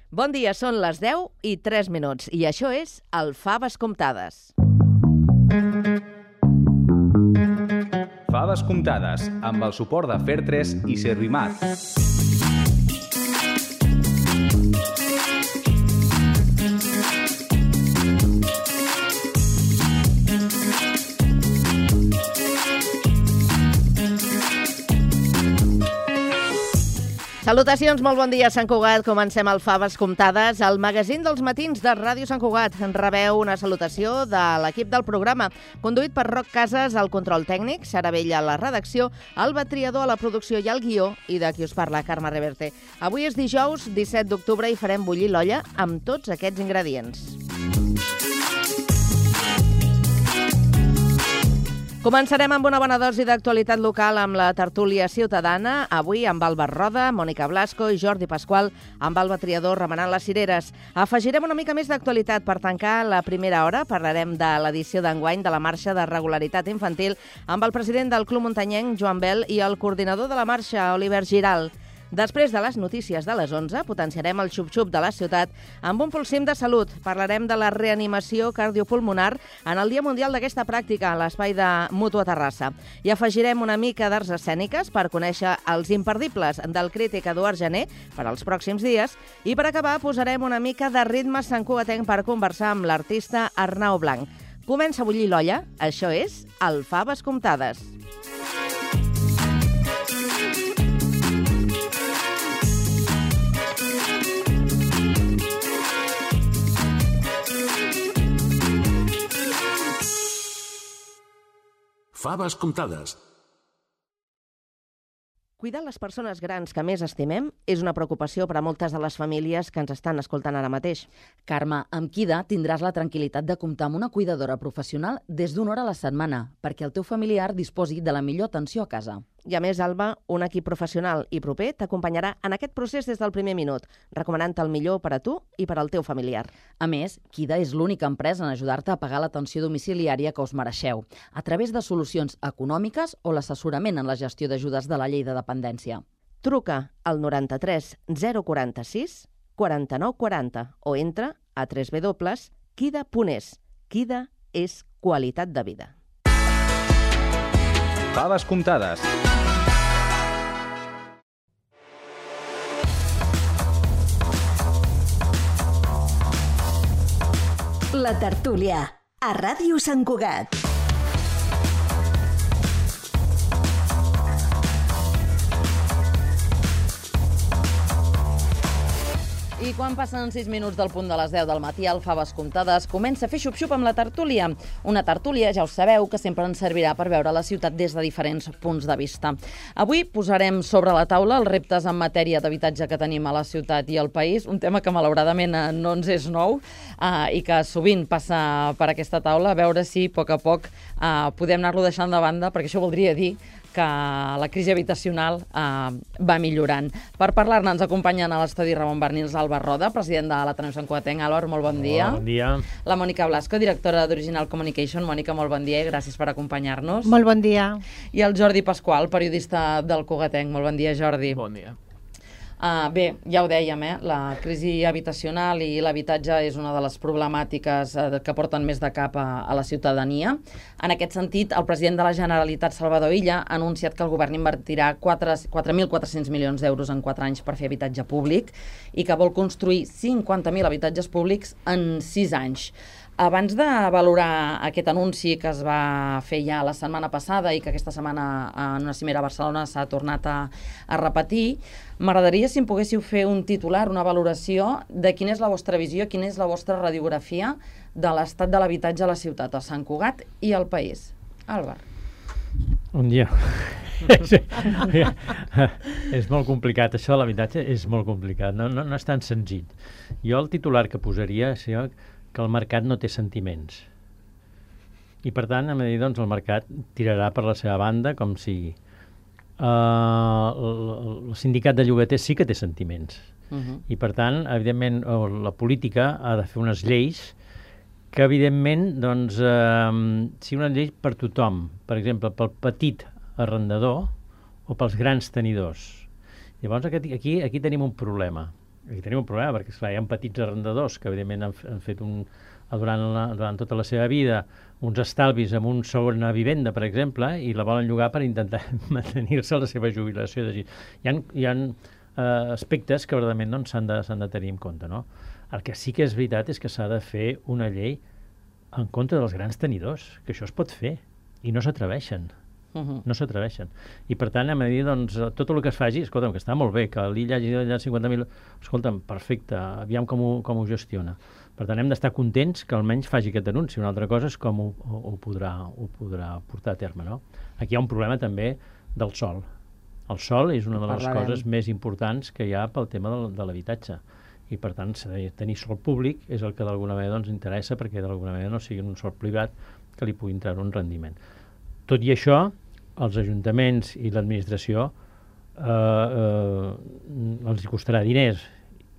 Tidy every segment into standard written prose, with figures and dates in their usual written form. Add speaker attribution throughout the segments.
Speaker 1: Bon dia, són les 10:03 i això és el Faves Comptades.
Speaker 2: Faves Comptades, amb el suport de Fer3 i Servimat.
Speaker 1: Salutacions, molt bon dia, Sant Cugat. Comencem el Faves Comptades, el magazín dels matins de Ràdio Sant Cugat. Rebeu una salutació de l'equip del programa, conduït per Roc Casas al control tècnic, Sara Vella a la redacció, Alba Triador a la producció i al guió, i de qui us parla, Carme Reverte. Avui és dijous, 17 d'octubre, i farem bullir l'olla amb tots aquests ingredients. Començarem amb una bona dosi d'actualitat local amb la tertúlia ciutadana, avui amb Alba Roda, Mònica Blasco i Jordi Pasqual, amb Alba Triador remenant les cireres. Afegirem una mica més d'actualitat per tancar la primera hora. Parlarem de l'edició d'enguany de la Marxa de Regularitat Infantil amb el president del Club Muntanyenc, Joan Bel, i el coordinador de la marxa, Oliver Giral. Després de les notícies de les 11, potenciarem el xup-xup de la ciutat amb un pulsim de salut. Parlarem de la reanimació cardiopulmonar en el Dia Mundial d'aquesta pràctica a l'espai de Mútua Terrassa. I afegirem una mica d'arts escèniques per conèixer els imperdibles del crític Eduard Gené per als pròxims dies. I per acabar posarem una mica de ritme santcugatenc per conversar amb l'artista Arnau Blanc. Comença a bullir l'olla, això és el Faves Comptades.
Speaker 3: Faves Comptades.
Speaker 1: Cuidar les persones grans que més estimem és una preocupació per a moltes de les famílies que ens estan escoltant ara mateix.
Speaker 4: Carme, amb Kida tindràs la tranquil·litat de comptar amb una cuidadora professional des d'una hora a la setmana, perquè el teu familiar disposi de la millor atenció a casa.
Speaker 1: I a més, Alba, un equip professional i proper t'acompanyarà en aquest procés des del primer minut, recomanant-te el millor per a tu i per al teu familiar.
Speaker 4: A més, Kida és l'única empresa en ajudar-te a pagar l'atenció domiciliària que us mereixeu, a través de solucions econòmiques o l'assessorament en la gestió d'ajudes de la llei de dependència.
Speaker 1: Truca al 93 046 49 40 o entra a www.kida.es. Kida és qualitat de vida.
Speaker 2: Faves Comptades.
Speaker 5: La tertúlia, a Ràdio Sant Cugat.
Speaker 4: I quan passen 6 minuts del punt de les 10 del matí, el Faves Comptades comença a fer xup-xup amb la tertúlia. Una tertúlia, ja ho sabeu, que sempre ens servirà per veure la ciutat des de diferents punts de vista. Avui posarem sobre la taula els reptes en matèria d'habitatge que tenim a la ciutat i al país, un tema que malauradament no ens és nou i que sovint passa per aquesta taula, a veure si a poc podem anar-lo deixant de banda, perquè això voldria dir que la crisi habitacional va millorant. Per parlar-ne ens acompanyen a l'estudi Ramon Barnils, Alba Roda, president de l'Ateneu Sant Cugatenc. Álvaro, molt bon dia.
Speaker 6: Bon dia.
Speaker 4: La Mònica Blasco, directora d'Original Communication. Mònica, molt bon dia i gràcies per acompanyar-nos.
Speaker 7: Molt bon dia.
Speaker 4: I el Jordi Pasqual, periodista del Cugatenc. Molt bon dia, Jordi.
Speaker 6: Bon dia.
Speaker 4: Bé, ja ho dèiem, la crisi habitacional i l'habitatge és una de les problemàtiques que porten més de cap a la ciutadania. En aquest sentit, el president de la Generalitat, Salvador Illa, ha anunciat que el govern invertirà 4.400 milions d'euros en 4 anys per fer habitatge públic i que vol construir 50.000 habitatges públics en 6 anys. Abans de valorar aquest anunci que es va fer ja la setmana passada i que aquesta setmana en una cimera a Barcelona s'ha tornat a repetir, m'agradaria si em poguéssiu fer un titular, una valoració de quina és la vostra visió, quina és la vostra radiografia de l'estat de l'habitatge a la ciutat, a Sant Cugat i al país. Álvaro.
Speaker 6: Bon dia. És molt complicat, això de l'habitatge és molt complicat, no és tan senzill. Jo el titular que posaria és que el mercat no té sentiments. I per tant, hem de dir, doncs, el mercat tirarà per la seva banda com sigui. El sindicat de llogaters sí que té sentiments. I per tant, evidentment, la política ha de fer unes lleis que, evidentment, doncs, sigui una llei per tothom. Per exemple, pel petit arrendador o pels grans tenidors. Llavors, aquí tenim un problema. Aquí tenim un problema, perquè esclar, hi ha petits arrendadors que evidentment han fet durant tota la seva vida uns estalvis amb una segona vivenda, per exemple, i la volen llogar per intentar mantenir-se a la seva jubilació. Hi ha aspectes que verdaderament doncs, s'han de tenir en compte. No? El que sí que és veritat és que s'ha de fer una llei en contra dels grans tenidors, que això es pot fer, i no s'atreveixen. No s'atreveixen. I per tant, hem de dir, doncs, tot el que es faci, escolta'm, que està molt bé, que l'illa hagi de 50.000... Escolta'm, perfecte, aviam com ho gestiona. Per tant, hem d'estar contents que almenys faci aquest anunci. Una altra cosa és com ho podrà portar a terme, no? Aquí hi ha un problema també del sòl. El sòl és una de les coses més importants que hi ha pel tema de l'habitatge. I per tant, tenir sòl públic és el que d'alguna manera ens interessa, perquè d'alguna manera no sigui un sòl privat que li puguin treure un rendiment. Tot i això, els ajuntaments i l'administració els costarà diners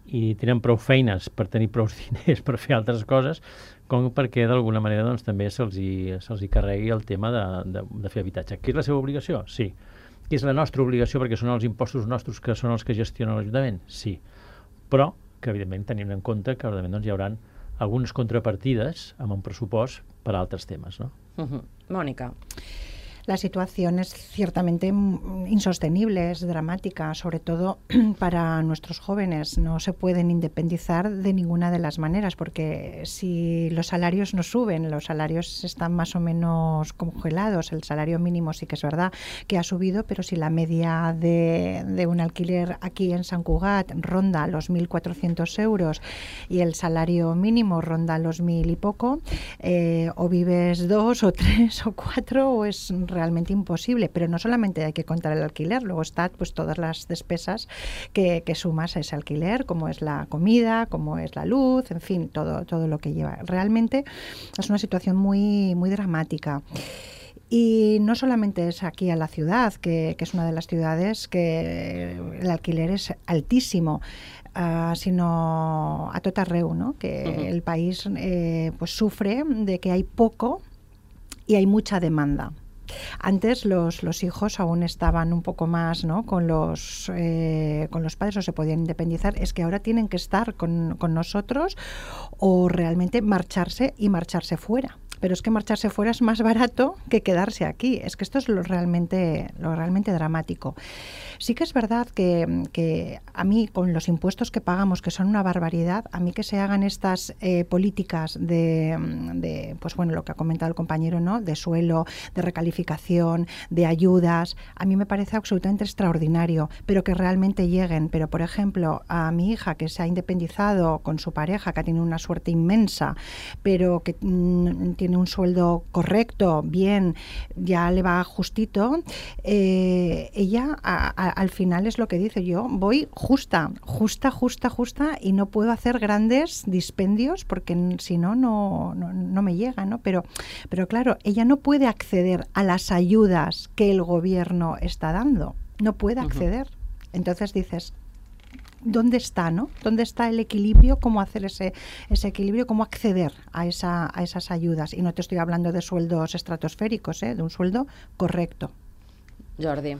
Speaker 6: i tenen prou feines per tenir prou diners per fer altres coses, com perquè d'alguna manera doncs, també se'ls hi carregui el tema de fer habitatge. Que és la seva obligació? Sí. Que és la nostra obligació perquè són els impostos nostres que són els que gestionen l'Ajuntament? Sí. Però que evidentment tenim en compte que evidentment doncs, hi haurà algunes contrapartides amb un pressupost per a altres temes. ¿No?
Speaker 4: Mónica.
Speaker 3: La situación es ciertamente insostenible, es dramática, sobre todo para nuestros jóvenes. No se pueden independizar de ninguna de las maneras, porque si los salarios no suben, los salarios están más o menos congelados. El salario mínimo sí que es verdad que ha subido, pero si la media de un alquiler aquí en Sant Cugat ronda los 1.400 euros y el salario mínimo ronda los 1.000 y poco, o vives 2 o 3 o 4 o es realmente imposible, pero no solamente hay que contar el alquiler, luego están pues todas las despesas que sumas a ese alquiler, como es la comida, como es la luz, en fin, todo lo que lleva. Realmente es una situación muy, muy dramática. Y no solamente es aquí en la ciudad, que es una de las ciudades que el alquiler es altísimo, sino a tot arreu, ¿no? Que el país pues sufre de que hay poco y hay mucha demanda. Antes los hijos aún estaban un poco más, ¿no? con los padres, o se podían independizar. Es que ahora tienen que estar con nosotros o realmente marcharse fuera. Pero es que marcharse fuera es más barato que quedarse aquí. Es que esto es lo realmente dramático. Sí que es verdad que a mí, con los impuestos que pagamos, que son una barbaridad, a mí que se hagan estas políticas de pues bueno, lo que ha comentado el compañero, ¿no? De suelo, de recalificación, de ayudas, a mí me parece absolutamente extraordinario, pero que realmente lleguen. Pero, por ejemplo, a mi hija, que se ha independizado con su pareja, que ha tenido una suerte inmensa, pero que tiene un sueldo correcto, bien, ya le va justito, ella al final es lo que dice: yo voy justa y no puedo hacer grandes dispendios porque si no me llega, ¿no? Pero claro, ella no puede acceder a las ayudas que el gobierno está dando, no puede acceder. Entonces dices, ¿dónde está, no? ¿Dónde está el equilibrio? ¿Cómo hacer ese equilibrio? ¿Cómo acceder a esas ayudas? Y no te estoy hablando de sueldos estratosféricos, de un sueldo correcto.
Speaker 4: Jordi.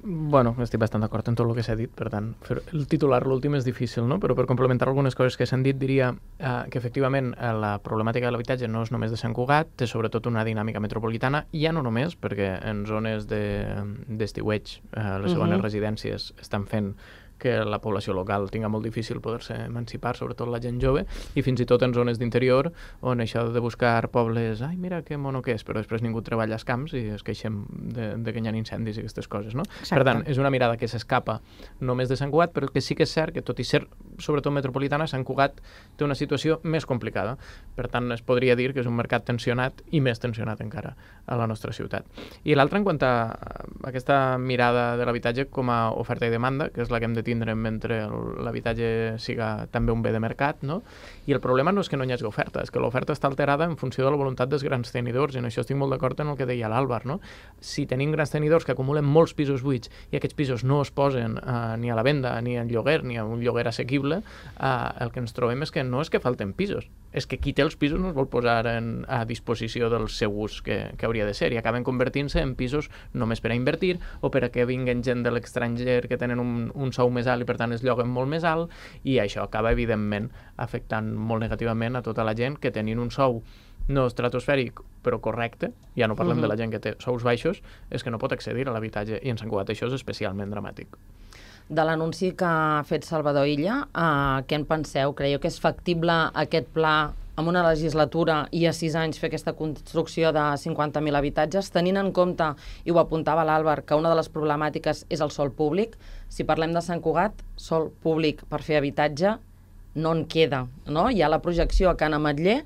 Speaker 7: Bueno, estic bastant d'acord en tot el que s'ha dit, per tant, el titular l'últim és difícil, no? Però per complementar algunes coses que s'han dit, diria que efectivament la problemàtica de l'habitatge no és només de Sant Cugat, té sobretot una dinàmica metropolitana, i ja no només, perquè en zones d'estiueig les segones residències estan fent que la població local tinga molt difícil poder-se emancipar, sobretot la gent jove, i fins i tot en zones d'interior, on això de buscar pobles, ai, mira que mono que és, però després ningú treballa als camps i es queixem de que hi ha incendis i aquestes coses, no? Exacte. Per tant, és una mirada que s'escapa només de Sant Cugat, però que sí que és cert que, tot i ser sobretot metropolitana, Sant Cugat té una situació més complicada. Per tant, es podria dir que és un mercat tensionat i més tensionat encara a la nostra ciutat. I l'altre, en quant a aquesta mirada de l'habitatge com a oferta i demanda, que és la que hem de tindre mentre l'habitatge siga també un bé de mercat, no? I el problema no és que no hi hagi oferta, és que l'oferta està alterada en funció de la voluntat dels grans tenidors, i en això estic molt d'acord en el que deia l'Àlvar, no? Si tenim grans tenidors que acumulen molts pisos buits i aquests pisos no es posen ni a la venda, ni en lloguer, ni a un lloguer assequible, possible, el que ens trobem és que no és que falten pisos, és que qui té els pisos no els vol posar a disposició del seu ús que hauria de ser, i acaben convertint-se en pisos només per a invertir o per a que vinguen gent de l'estranger que tenen un sou més alt i per tant es lloguen molt més alt, i això acaba evidentment afectant molt negativament a tota la gent que tenint un sou no estratosfèric, però correcte, ja no parlem de la gent que té sous baixos, és que no pot accedir a l'habitatge, i en Sant Cugat això és especialment dramàtic.
Speaker 4: De l'anunci que ha fet Salvador Illa, què en penseu? Creieu que és factible aquest pla en una legislatura i a 6 anys fer aquesta construcció de 50.000 habitatges, tenint en compte, i ho apuntava l'Àlvar, que una de les problemàtiques és el sòl públic? Si parlem de Sant Cugat, sòl públic per fer habitatge no en queda, no? Hi ha la projecció a Can Ametller,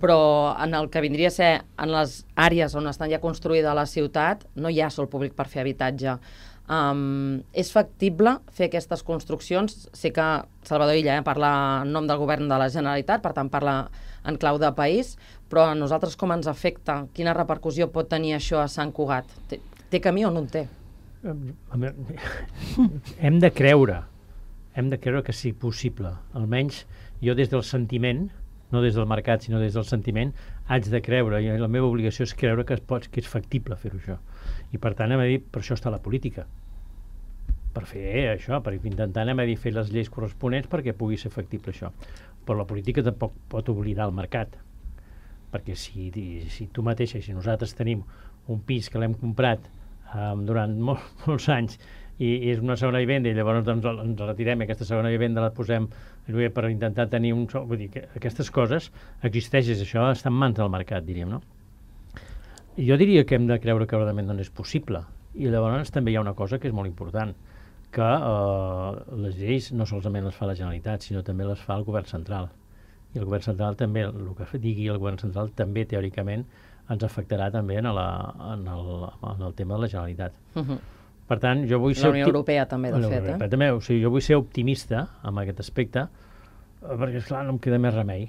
Speaker 4: però en el que vindria a ser en les àrees on estan ja construïda la ciutat no hi ha sòl públic per fer habitatge. És factible fer aquestes construccions? Sé que Salvador Illa parla en nom del govern de la Generalitat, per tant parla en clau de país, però a nosaltres com ens afecta? Quina repercussió pot tenir això a Sant Cugat? Té camí o no en té?
Speaker 6: Hem de creure que sigui possible. Almenys jo des del sentiment, no des del mercat, sinó des del sentiment, haig de creure, i la meva obligació és creure que és factible fer-ho això. I per tant, per això està la política. Per fer això, per intentar fer les lleis corresponents perquè pugui ser factible això. Però la política tampoc pot oblidar el mercat. Perquè si tu mateixa, si nosaltres tenim un pis que l'hem comprat durant molts anys i és una segona vivenda i llavors ens retirem i aquesta segona vivenda la posem per intentar tenir un sou, vull dir que aquestes coses existeixen, això està en mans del mercat, diríem, no? Jo diria que hem de creure que realment no és possible, i llavors també hi ha una cosa que és molt important, que les lleis no solament les fa la Generalitat, sinó també les fa el govern central, i el govern central també, el que digui el govern central també teòricament ens afectarà també en el tema de la Generalitat. Per tant, jo vull ser...
Speaker 4: La Unió Europea també, de fet.
Speaker 6: També, o sigui, jo vull ser optimista en aquest aspecte, perquè, esclar, no em queda més remei.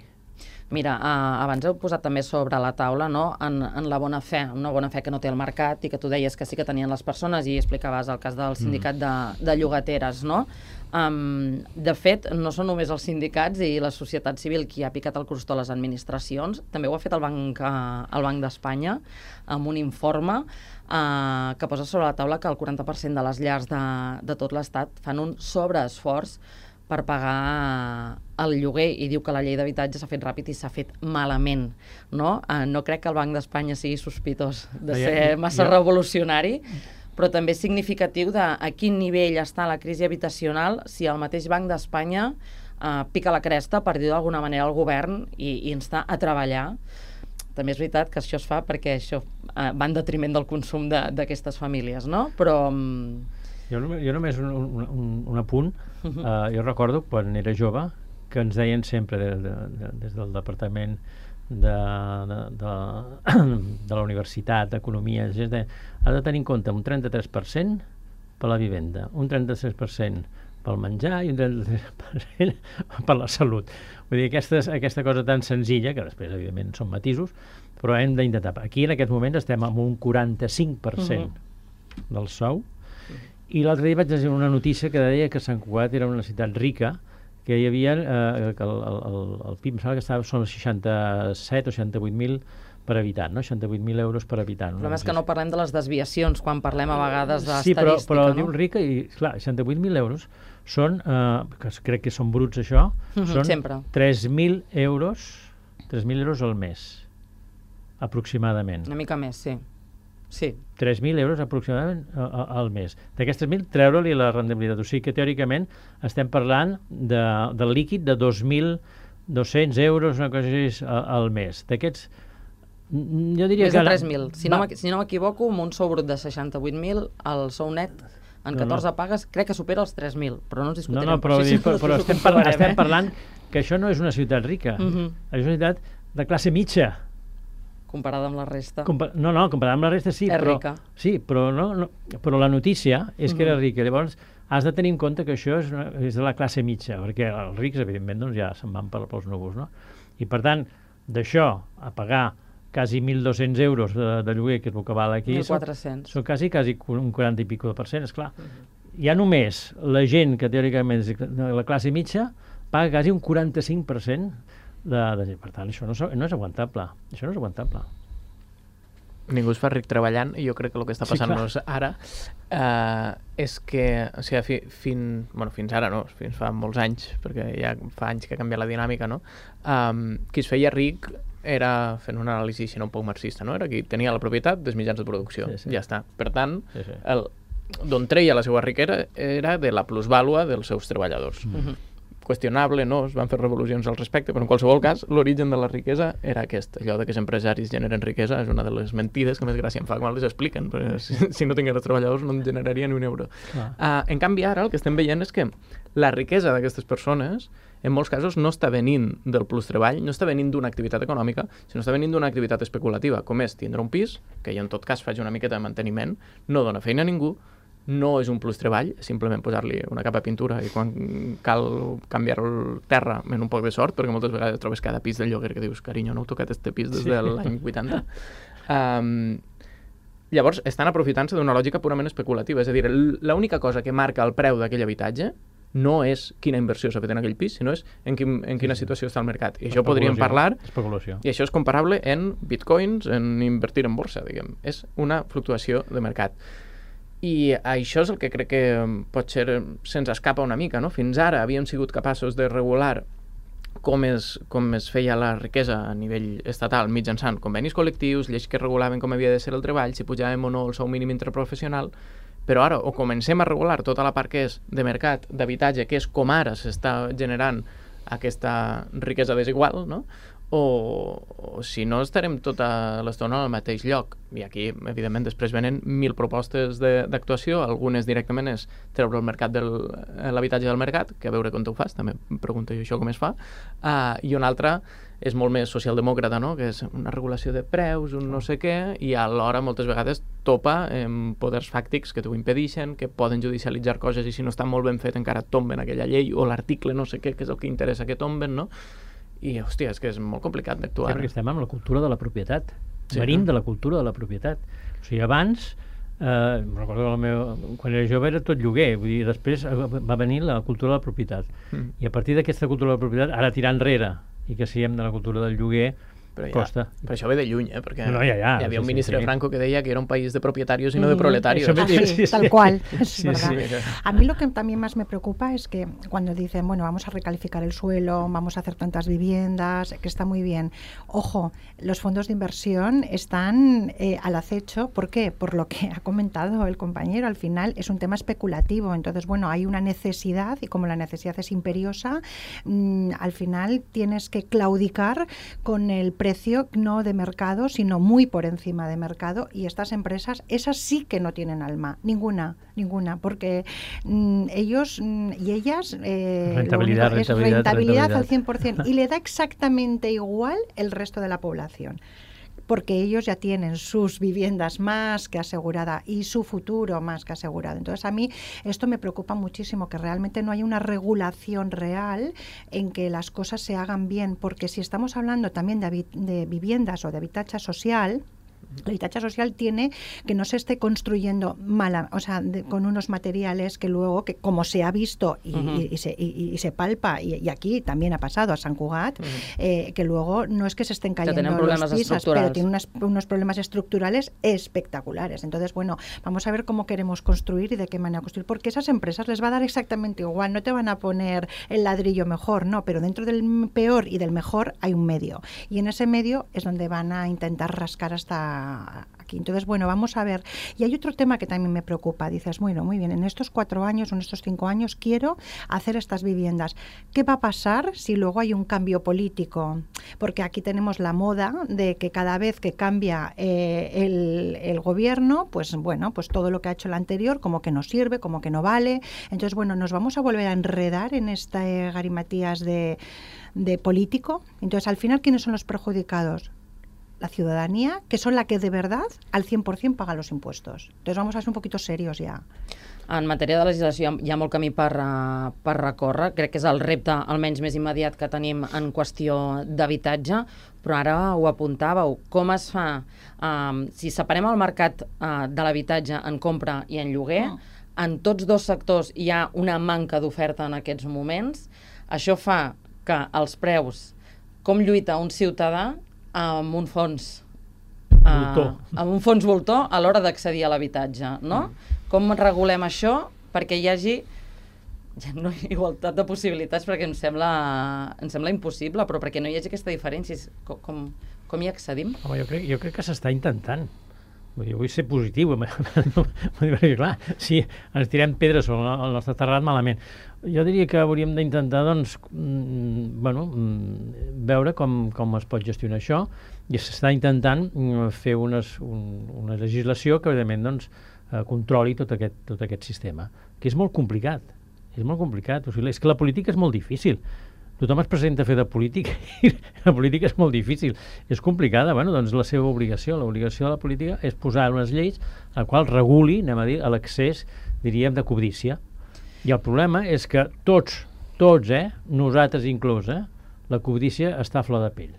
Speaker 4: Mira, abans heu posat també sobre la taula, no?, en la bona fe, una bona fe que no té el mercat i que tu deies que sí que tenien les persones i explicaves el cas del sindicat de llogateres, no? De fet, no són només els sindicats i la societat civil qui ha picat el crostó a les administracions, també ho ha fet el Banc d'Espanya amb un informe que posa sobre la taula que el 40% de les llars de tot l'Estat fan un sobreesforç per pagar el lloguer, i diu que la llei d'habitatge s'ha fet ràpid i s'ha fet malament, no? No crec que el Banc d'Espanya sigui sospitós de ser massa revolucionari, però també és significatiu de a quin nivell està la crisi habitacional si el mateix Banc d'Espanya pica la cresta, per dir d'alguna manera, al govern i insta a treballar. També és veritat que això es fa perquè això va en detriment del consum d'aquestes famílies, no? Però...
Speaker 6: Jo només un apunt. Jo recordo, quan era jove, que ens deien sempre des del Departament de la Universitat d'Economia, has de tenir en compte un 33% per la vivenda, un 33% pel menjar i un 33% per la salut. Vull dir, aquesta cosa tan senzilla, que després, evidentment, són matisos, però hem d'intentar. Aquí, en aquest moment, estem amb un 45% del sou. I l'altre dia vaig llegir una notícia que deia que Sant Cugat era una ciutat rica, que hi havia, que el PIB, em sembla que estava, són 67 o 68.000 per habitant, no? 68.000 euros per habitant.
Speaker 4: El problema és que no parlem de les desviacions quan parlem a vegades d'estadística,
Speaker 6: no? Sí, però diu rica i, clar, 68.000 euros són, que crec que són bruts això, són 3.000 euros al mes, aproximadament.
Speaker 4: Una mica més, sí. Sí.
Speaker 6: 3.000 euros aproximadament al mes. D'aquests 3.000, treure-li la rendibilitat. O sigui que, teòricament, estem parlant del líquid de 2.200 euros, una cosa així, al mes. D'aquests, jo diria
Speaker 4: que... Més de 3.000. Si no m'equivoco, amb un sou brut de 68.000, el sou net en 14 pagues crec que supera els 3.000, però no ens discutirem.
Speaker 6: Però estem parlant que això no és una ciutat rica. És una ciutat de classe mitja.
Speaker 4: Comparada amb la resta.
Speaker 6: Comparada amb la resta sí, però la notícia és que era rica. Llavors, has de tenir en compte que això és de la classe mitja, perquè els rics, evidentment, ja se'n van pels núvols, no? I, per tant, d'això a pagar quasi 1.200 euros de lloguer, que és el que val aquí,
Speaker 4: 1.400.
Speaker 6: Són quasi un 40 i pico %, esclar. Ja només la gent que teòricament és de la classe mitja paga quasi un 45% de... Per tant, això no és aguantable. Això no és aguantable.
Speaker 7: Ningú es fa ric treballant, i jo crec que el que està passant-nos ara és que, o sigui, fins ara no, fins fa molts anys, perquè ja fa anys que ha canviat la dinàmica, no? Qui es feia ric era, fent una anàlisi, si no un poc marxista, no? Era qui tenia la propietat dels mitjans de producció. Sí. Ja està. Per tant, d'on treia la seva riquesa era de la plusvàlua dels seus treballadors. Qüestionable, no? Es van fer revolucions al respecte, però en qualsevol cas l'origen de la riquesa era aquest. Allò de que els empresaris generen riquesa és una de les mentides que més gràcia em fa quan les expliquen, perquè si no tingués els treballadors no en generaria ni un euro. En canvi ara el que estem veient és que la riquesa d'aquestes persones en molts casos no està venint del plus treball, no està venint d'una activitat econòmica, sinó està venint d'una activitat especulativa, com és tindre un pis, que jo en tot cas faig una miqueta de manteniment, no dona feina a ningú, no és un plus treball, simplement posar-li una capa de pintura i quan cal canviar el terra amb un poc de sort, perquè moltes vegades trobes cada pis del lloguer que dius, carinyo, no heu tocat este pis des de l'any 80. Llavors, estan aprofitant-se d'una lògica purament especulativa, és a dir, l'única cosa que marca el preu d'aquell habitatge no és quina inversió s'ha fet en aquell pis, sinó és en quina situació està el mercat. I això podríem parlar, i això és comparable en bitcoins, en invertir en borsa, diguem. És una fluctuació de mercat. I això és el que crec que potser se'ns escapa una mica, no? Fins ara havíem sigut capaços de regular com es feia la riquesa a nivell estatal mitjançant convenis col·lectius, lleis que regulaven com havia de ser el treball, si pujàvem o no el sou mínim interprofessional, però ara o comencem a regular tota la part que és de mercat, d'habitatge, que és com ara s'està generant aquesta riquesa desigual, no? O si no estarem tota l'estona al mateix lloc. I aquí, evidentment, després venen 1000 propostes d'actuació, algunes directament és treure l'habitatge del mercat, que a veure com ho fas, també em pregunto jo això com es fa, i una altra és molt més socialdemòcrata, no? Que és una regulació de preus, un no sé què, i alhora moltes vegades topa amb poders fàctics que t'ho impedeixen, que poden judicialitzar coses i si no està molt ben fet encara tomben aquella llei o l'article no sé què, que és el que interessa que tomben, no? I, hòstia, és que és molt complicat d'actuar.
Speaker 6: Sí, perquè estem amb la cultura de la propietat. Venim de la cultura de la propietat. O sigui, abans, recordo quan era jove era tot lloguer, vull dir, després va venir la cultura de la propietat. I a partir d'aquesta cultura de la propietat, ara tirar enrere i que siguem de la cultura del lloguer, costa.
Speaker 7: Però això ve de lluny, perquè hi havia un ministre Franco que deia que era un país de propietarios y no de proletarios.
Speaker 3: Tal cual, es verdad. A mí lo que también más me preocupa es que cuando dicen, bueno, vamos a recalificar el suelo, vamos a hacer tantas viviendas, que está muy bien. Ojo, los fondos de inversión están al acecho. ¿Por qué? Por lo que ha comentado el compañero. Al final es un tema especulativo. Entonces, bueno, hay una necesidad y como la necesidad es imperiosa, al final tienes que claudicar con el precio no de mercado, sino muy por encima de mercado, y estas empresas, esas sí que no tienen alma, ninguna, porque ellos y ellas
Speaker 6: rentabilidad
Speaker 3: al 100%, y le da exactamente igual el resto de la población, porque ellos ya tienen sus viviendas más que asegurada y su futuro más que asegurado. Entonces a mí esto me preocupa muchísimo, que realmente no haya una regulación real en que las cosas se hagan bien, porque si estamos hablando también de viviendas o de habitatge social, el habitatge social tiene que no se esté construyendo con unos materiales que luego, que como se ha visto y se palpa, y aquí también ha pasado a Sant Cugat, que luego no es que se estén cayendo los pisos, pero tienen unos problemas estructurales espectaculares. Entonces, bueno, vamos a ver cómo queremos construir y de qué manera construir, porque esas empresas les va a dar exactamente igual, no te van a poner el ladrillo mejor, no, pero dentro del peor y del mejor hay un medio, y en ese medio es donde van a intentar rascar hasta aquí. Entonces, bueno, vamos a ver. Y hay otro tema que también me preocupa. Dices, bueno, muy bien, en estos 4 años o en estos 5 años quiero hacer estas viviendas. ¿Qué va a pasar si luego hay un cambio político? Porque aquí tenemos la moda de que cada vez que cambia el gobierno, pues bueno, pues todo lo que ha hecho el anterior como que no sirve, como que no vale. Entonces, bueno, nos vamos a volver a enredar en este garimatías de político. Entonces, al final, ¿quiénes son los perjudicados? La ciudadanía, que son la que de verdad al 100% paga los impuestos. Entonces vamos a ser un poquito serios ja.
Speaker 4: En matèria de legislació hi ha molt camí per recórrer. Crec que és el repte almenys més immediat que tenim en qüestió d'habitatge, però ara ho apuntàveu. Com es fa? Si separem el mercat de l'habitatge en compra i en lloguer, en tots dos sectors hi ha una manca d'oferta en aquests moments. Això fa que els preus, com lluita un ciutadà amb un fons amb un fons voltor a l'hora d'accedir a l'habitatge, no? Com regulem això perquè hi hagi igualtat de possibilitats, perquè em sembla impossible, però perquè no hi hagi aquesta diferència, com hi accedim?
Speaker 6: Home, jo crec que s'està intentant. Jo vull ser positiu, perquè clar, si ens tirem pedres sobre el nostre terrat, malament. Jo diria que hauríem d'intentar, doncs, veure com es pot gestionar això, i s'està intentant fer una legislació que, evidentment, doncs, controli tot aquest sistema, que és molt complicat. És molt complicat. O sigui, és que la política és molt difícil. Tothom es presenta a fer de política i la política és molt difícil. És complicada, doncs la seva obligació. L'obligació de la política és posar unes lleis a qual reguli, anem a dir, l'accés, diríem, de cobdícia. I el problema és que tots, nosaltres inclús, la cobdícia està a flor de pell.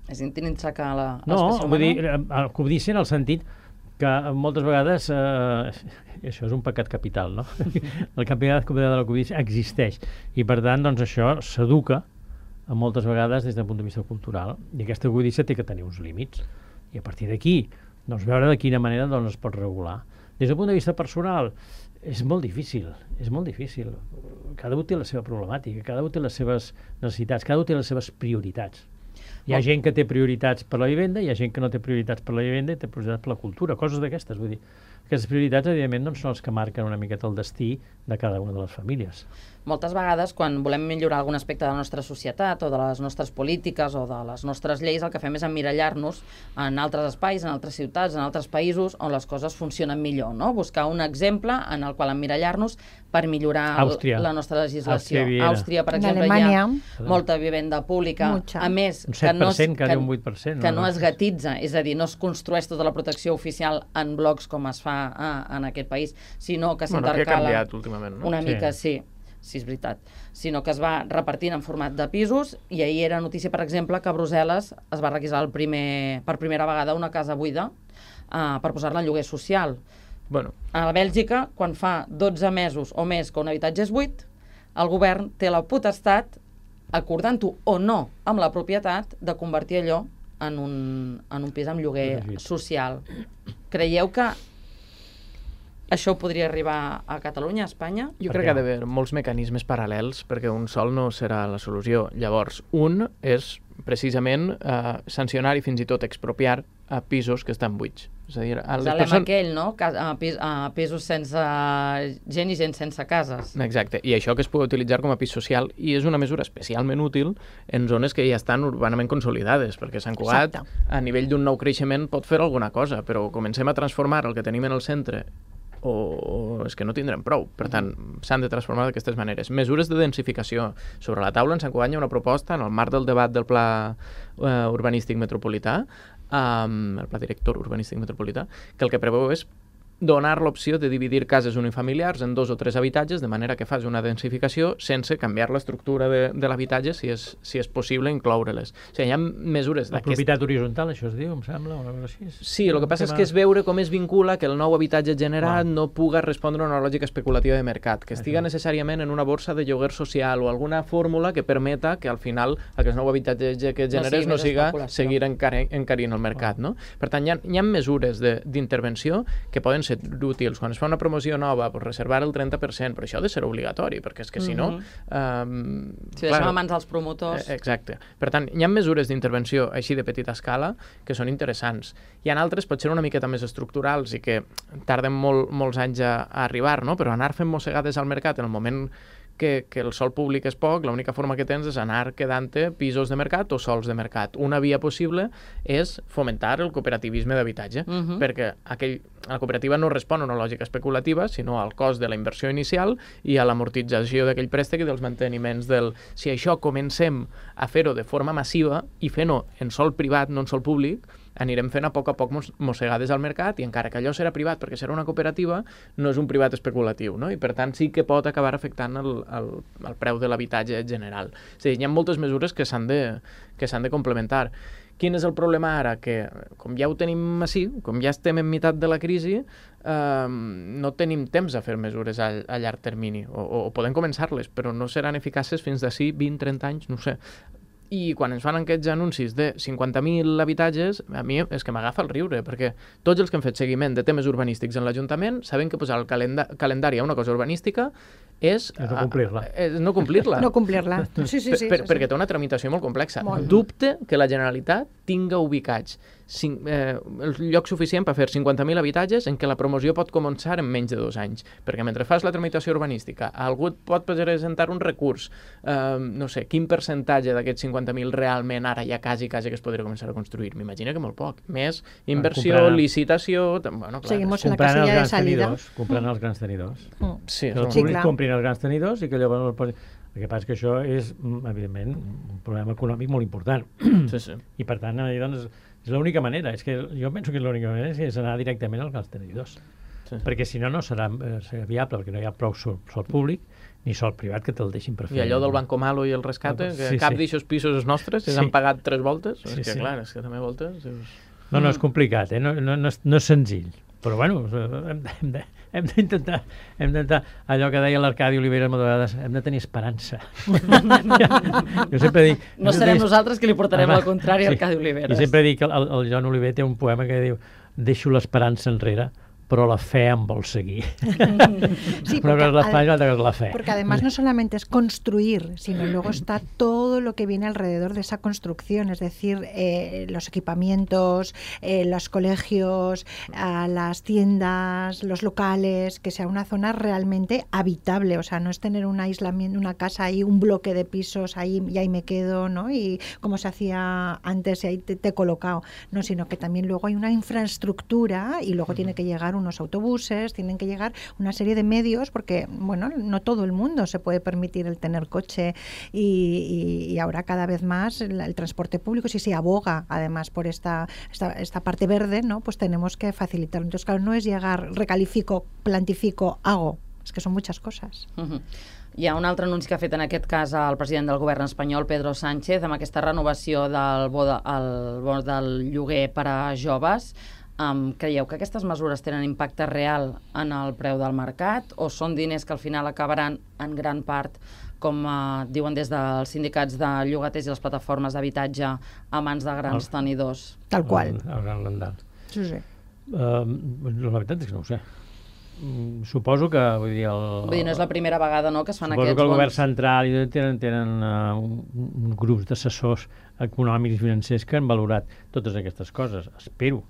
Speaker 4: És intrinsecar
Speaker 6: no, vull dir, cobdícia en el sentit que moltes vegades això és un pecat capital, no? El capital de la cobdícia existeix i per tant doncs això s'educa moltes vegades des del punt de vista cultural i aquesta cobdícia té que tenir uns límits i a partir d'aquí doncs veure de quina manera doncs es pot regular. Des del punt de vista personal és molt difícil, cada un té la seva problemàtica, cada un té les seves necessitats, cada un té les seves prioritats. Hi ha gent que té prioritats per la vivenda, hi ha gent que no té prioritats per la vivenda i té prioritats per la cultura, coses d'aquestes, vull dir. Aquestes prioritats, evidentment, doncs, són les que marquen una miqueta el destí de cada una de les famílies.
Speaker 4: Moltes vegades, quan volem millorar algun aspecte de la nostra societat o de les nostres polítiques o de les nostres lleis, el que fem és emmirallar-nos en altres espais, en altres ciutats, en altres països on les coses funcionen millor, no? Buscar un exemple en el qual emmirallar-nos per millorar la nostra legislació. Àustria, per exemple, hi ha molta vivenda pública. A més,
Speaker 6: un 7%, quasi un 8%.
Speaker 4: Que no es gatitza, és a dir, no es construeix tota la protecció oficial en blocs com es fa en aquest país, sinó que s'intercala...
Speaker 7: Bueno, que ha canviat últimament, no?
Speaker 4: Una mica, sí, és veritat. Sinó que es va repartint en format de pisos i ahir era notícia, per exemple, que a Brussel·les es va requisar per primera vegada una casa buida per posar-la en lloguer social.
Speaker 7: Bueno.
Speaker 4: A Bèlgica, quan fa 12 mesos o més que un habitatge és buit, el govern té la potestat, acordant-ho o no amb la propietat, de convertir allò en un pis amb lloguer social. Creieu que això podria arribar a Catalunya, a Espanya?
Speaker 7: Jo crec que ha d'haver molts mecanismes paral·lels perquè un sol no serà la solució. Llavors, un és precisament sancionar i fins i tot expropiar a pisos que estan buits. És a dir,
Speaker 4: aquell, no? A pisos sense gent i gent sense cases.
Speaker 7: Exacte, i això que es pugui utilitzar com a pis social i és una mesura especialment útil en zones que ja estan urbanament consolidades, perquè Sant Cugat, a nivell d'un nou creixement, pot fer alguna cosa, però comencem a transformar el que tenim en el centre o és que no tindrem prou. Per tant, s'han de transformar d'aquestes maneres. Mesures de densificació. Sobre la taula en Sant Cugat hi ha una proposta en el marc del debat del Pla Urbanístic Metropolità, el Pla Director Urbanístic Metropolità, que el que preveu és donar l'opció de dividir cases unifamiliars en 2 o 3 habitatges, de manera que fas una densificació sense canviar l'estructura de l'habitatge, si és possible incloure-les. O sigui, hi ha mesures
Speaker 6: d'aquest... La propietat horitzontal, això es diu, em sembla, o alguna cosa així.
Speaker 7: Sí, el que passa és que és veure com es vincula que el nou habitatge generat no puga respondre a una lògica especulativa de mercat, que estiga necessàriament en una borsa de lloguer social o alguna fórmula que permeta que al final aquest nou habitatge que generes no siga seguir encarint el mercat, no? Per tant, hi ha mesures d'intervenció que poden ser útils. Quan es fa una promoció nova, pues reservar el 30%, però això ha de ser obligatori, perquè és que si no...
Speaker 4: Si deixem a mans dels promotors...
Speaker 7: Exacte. Per tant, hi ha mesures d'intervenció així de petita escala que són interessants. Hi ha altres, potser una miqueta més estructurals i que tarden molts anys a arribar, no? Però anar fent mossegades al mercat en el moment que el sòl públic és poc, l'única forma que tens és anar quedant-te pisos de mercat o sòls de mercat. Una via possible és fomentar el cooperativisme d'habitatge, perquè la cooperativa no respon a una lògica especulativa, sinó al cost de la inversió inicial i a l'amortització d'aquell préstec i dels manteniments del... Si això comencem a fer-ho de forma massiva i fent-ho en sòl privat, no en sòl públic, anirem fent a poc mossegades al mercat i encara que allò serà privat perquè serà una cooperativa, no és un privat especulatiu, no? I per tant sí que pot acabar afectant el preu de l'habitatge general. És a dir, hi ha moltes mesures que s'han de complementar. Quin és el problema ara? Que com ja ho tenim així, com ja estem en meitat de la crisi, no tenim temps a fer mesures a llarg termini, o podem començar-les, però no seran eficaces fins d'ací 20-30 anys, no ho sé. I quan ens fan aquests anuncis de 50.000 habitatges, a mi és que m'agafa el riure, perquè tots els que han fet seguiment de temes urbanístics en l'Ajuntament saben que posar el calendari a una cosa urbanística és
Speaker 6: no complir-la.
Speaker 7: No complir-la.
Speaker 3: No complir-la. Sí.
Speaker 7: Perquè té una tramitació molt complexa. Dubte que la Generalitat tinga ubicats el lloc suficient per fer 50.000 habitatges en què la promoció pot començar en menys de 2 anys. Perquè mentre fas la tramitació urbanística, algú pot presentar un recurs, no sé, quin percentatge d'aquests 50.000 realment ara ja quasi que es podria començar a construir? M'imagino que molt poc. Més inversió, licitació... Bueno, clar.
Speaker 3: Seguimos en la casilla de salida.
Speaker 6: Comprant els grans tenidors.
Speaker 7: Sí,
Speaker 6: que el públic comprin els grans tenidors i que llavors... El que passa és que això és, evidentment, un problema econòmic molt important.
Speaker 7: Sí.
Speaker 6: I, per tant, doncs, és l'única manera. És que jo penso que l'única manera és anar directament als grans tenidors. Sí. Perquè, si no, no serà viable, perquè no hi ha prou sol públic ni sol privat que te'l deixin per fer.
Speaker 7: I allò del Banco Malo i el rescate, que cap d'aixòs pisos és nostres, si han pagat 3 voltes, és que, clar, és que també voltes...
Speaker 6: No, és complicat, no és senzill. Però, bueno, hem d'intentar allò que deia l'Arcadi Oliveres moltes vegades, hem de tenir esperança. Jo sempre dic...
Speaker 4: No serem nosaltres que li portarem al contrari a Arcadi Oliveres.
Speaker 6: I sempre dic que el Joan Oliver té un poema que diu: deixo l'esperança enrere, pero la fe en vol seguir.
Speaker 3: Sí,
Speaker 6: una cosa es la fe y otra cosa es la fe.
Speaker 3: Porque además no solamente es construir, sino luego está todo lo que viene alrededor de esa construcción, es decir, los equipamientos, los colegios, las tiendas, los locales, que sea una zona realmente habitable, o sea, no es tener un aislamiento, una casa ahí, un bloque de pisos ahí y ahí me quedo, ¿no? Y como se hacía antes y ahí te he colocado, no, sino que también luego hay una infraestructura y luego tiene que llegar unos autobuses, tienen que llegar una serie de medios, porque, bueno, no todo el mundo se puede permitir el tener coche y ahora cada vez más el transporte público, si se aboga además por esta parte verde, ¿no? Pues tenemos que facilitarlo. Entonces, claro, no es llegar, recalifico, plantifico, hago, es que son muchas cosas.
Speaker 4: Hi ha un altre anunci que ha fet en aquest cas el president del govern espanyol, Pedro Sánchez, amb aquesta renovació del bo del lloguer per a joves. Creieu que aquestes mesures tenen impacte real en el preu del mercat o són diners que al final acabaran en gran part, com diuen des dels sindicats de llogaters i les plataformes d'habitatge, a mans de grans tenidors?
Speaker 3: Tal qual.
Speaker 6: El gran landal.
Speaker 3: Sí.
Speaker 6: La veritat és que no ho sé. Suposo que, vull dir...
Speaker 4: Vull dir, no és la primera vegada, no?, que es fan aquests
Speaker 6: bons... Suposo que el govern central tenen grups d'assessors econòmics i financers que han valorat totes aquestes coses, espero.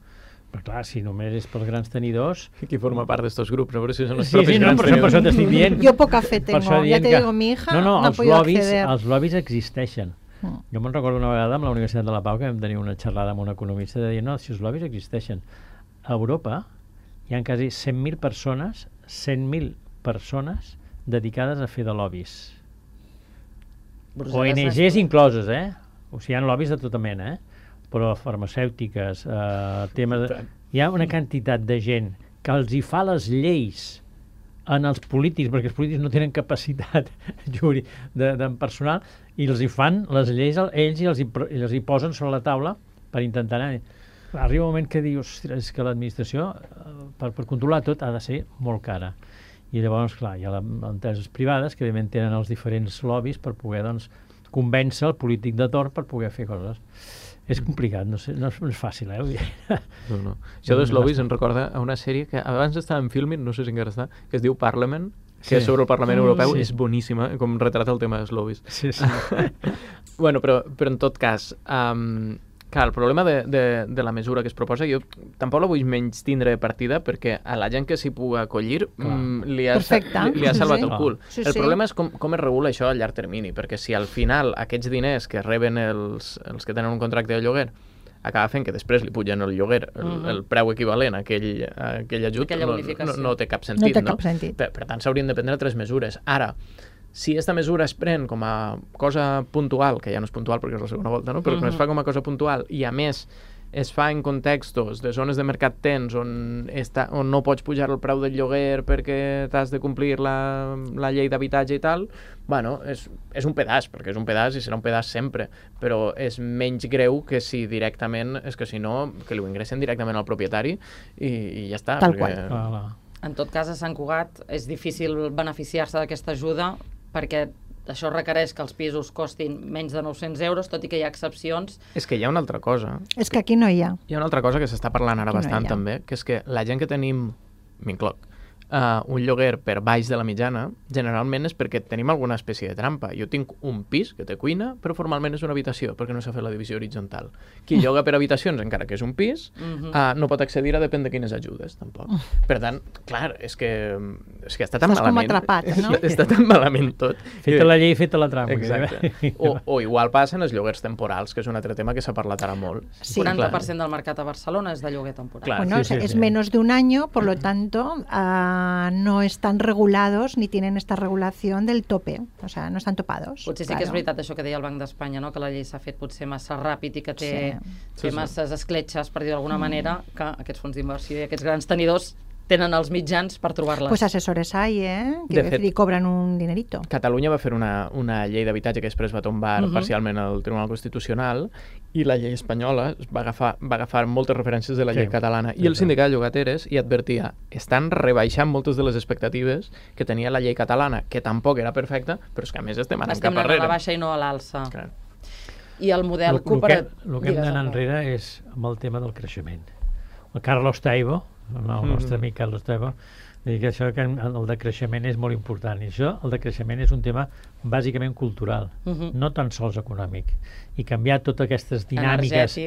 Speaker 6: Però clar, si només és pels grans tenidors...
Speaker 7: Qui forma part d'estos grups? A veure si són els
Speaker 6: propis grans tenidors. Per això t'estic dient.
Speaker 3: Jo poca fe tengo, ja te digo, mi hija no ha podido acceder.
Speaker 6: Els lobbies existeixen. Jo me'n recordo una vegada amb la Universitat de la Pau que vam tenir una xerrada amb un economista de dir, no, si els lobbies existeixen. A Europa hi ha quasi 100.000 persones dedicades a fer de lobbies. ONGs incloses, O sigui, hi ha lobbies de tota mena, però farmacèutiques, temes... Hi ha una quantitat de gent que els hi fa les lleis en els polítics, perquè els polítics no tenen capacitat de personal, i els hi fan les lleis ells i els hi posen sobre la taula per intentar anar... Arriba un moment que dius, és que l'administració, per controlar tot, ha de ser molt cara. I llavors, clar, hi ha empreses privades que, evidentment, tenen els diferents lobbies per poder, doncs, convèncer el polític de torn per poder fer coses. És complicat, no és fàcil,
Speaker 7: No. Això dels lobbies em recorda a una sèrie que abans estava en Filmin, no sé si encara està, que es diu Parliament, que és sobre el Parlament Europeu, és boníssima, com retrata el tema dels lobbies.
Speaker 6: Sí.
Speaker 7: Bueno, però en tot cas, clar, el problema de la mesura que es proposa, jo tampoc la vull menys tindre de partida, perquè a la gent que s'hi pugui acollir li ha salvat el cul. El problema és com es regula això a llarg termini, perquè si al final aquests diners que reben els que tenen un contracte de lloguer acaba fent que després li pugen el lloguer, el preu equivalent a aquell ajut, no té cap sentit. Per tant, s'haurien de prendre 3 mesures. Ara, si aquesta mesura es pren com a cosa puntual, que ja no és puntual perquè és la segona volta, no? Però que es fa com a cosa puntual i, a més, es fa en contextos de zones de mercat tens on no pots pujar el preu del lloguer perquè t'has de complir la llei d'habitatge i tal, bueno, és un pedaç, perquè és un pedaç i serà un pedaç sempre, però és menys greu que si directament, és que si no, que li ho ingressen directament al propietari i ja està.
Speaker 3: Tal qual.
Speaker 4: En tot cas, a Sant Cugat és difícil beneficiar-se d'aquesta ajuda perquè això requereix que els pisos costin menys de 900 euros, tot i que hi ha excepcions.
Speaker 7: És que hi ha una altra cosa.
Speaker 3: És que aquí no hi ha.
Speaker 7: Hi ha una altra cosa que s'està parlant ara
Speaker 3: Aquí no
Speaker 7: bastant
Speaker 3: hi ha.
Speaker 7: també, que és que la gent que tenim, m'incloc, un lloguer per baix de la mitjana, generalment és perquè tenim alguna espècie de trampa. Jo tinc un pis que té cuina, però formalment és una habitació, perquè no s'ha fet la divisió horitzontal. Qui lloga per habitacions, encara que és un pis, no pot accedir a depèn de quines ajudes, tampoc. Per tant, clar, és que està tan
Speaker 3: Estàs com
Speaker 7: malament.
Speaker 3: atrapat, no?
Speaker 7: Està tan malament tot.
Speaker 6: Feta la llei, feta la trampa.
Speaker 7: Exacte. O igual passen els lloguers temporals, que és un altre tema que s'ha parlat ara molt.
Speaker 3: Sí.
Speaker 4: 40% del mercat a Barcelona és de lloguer temporal.
Speaker 7: Clar.
Speaker 3: Bueno,
Speaker 6: sí,
Speaker 3: es
Speaker 6: sí.
Speaker 3: menos de un año, por lo tanto, no están regulados ni tienen esta regulación del tope, o sea, no están topados.
Speaker 4: Potser sí que és veritat això que deia el Banc d'Espanya, no? Que la llei s'ha fet potser massa ràpid i que té masses escletxes, per dir d'alguna manera, que aquests fons d'inversió i aquests grans tenidors tenen els mitjans per trobar-les.
Speaker 3: Pues asesores hay, que
Speaker 7: De fet,
Speaker 3: y cobran un dinerito.
Speaker 7: Catalunya va fer una llei d'habitatge que després va tombar parcialment el Tribunal Constitucional i la llei espanyola va agafar moltes referències de la llei catalana. I el sindicat de llogateres hi advertia, estan rebaixant moltes de les expectatives que tenia la llei catalana, que tampoc era perfecta, però és que a més estem anant cap
Speaker 4: anant
Speaker 7: arrere.
Speaker 4: a la baixa i no a l'alça.
Speaker 7: Clar.
Speaker 4: I el model cooperatiu...
Speaker 6: El que hem d'anar enrere és amb el tema del creixement. El Carlos Taibo, el nostre amic Carlos Taibo, diu que això, que el decreixement és molt important. I això, el decreixement és un tema bàsicament cultural, no tan sols econòmic. I canviar totes aquestes dinàmiques,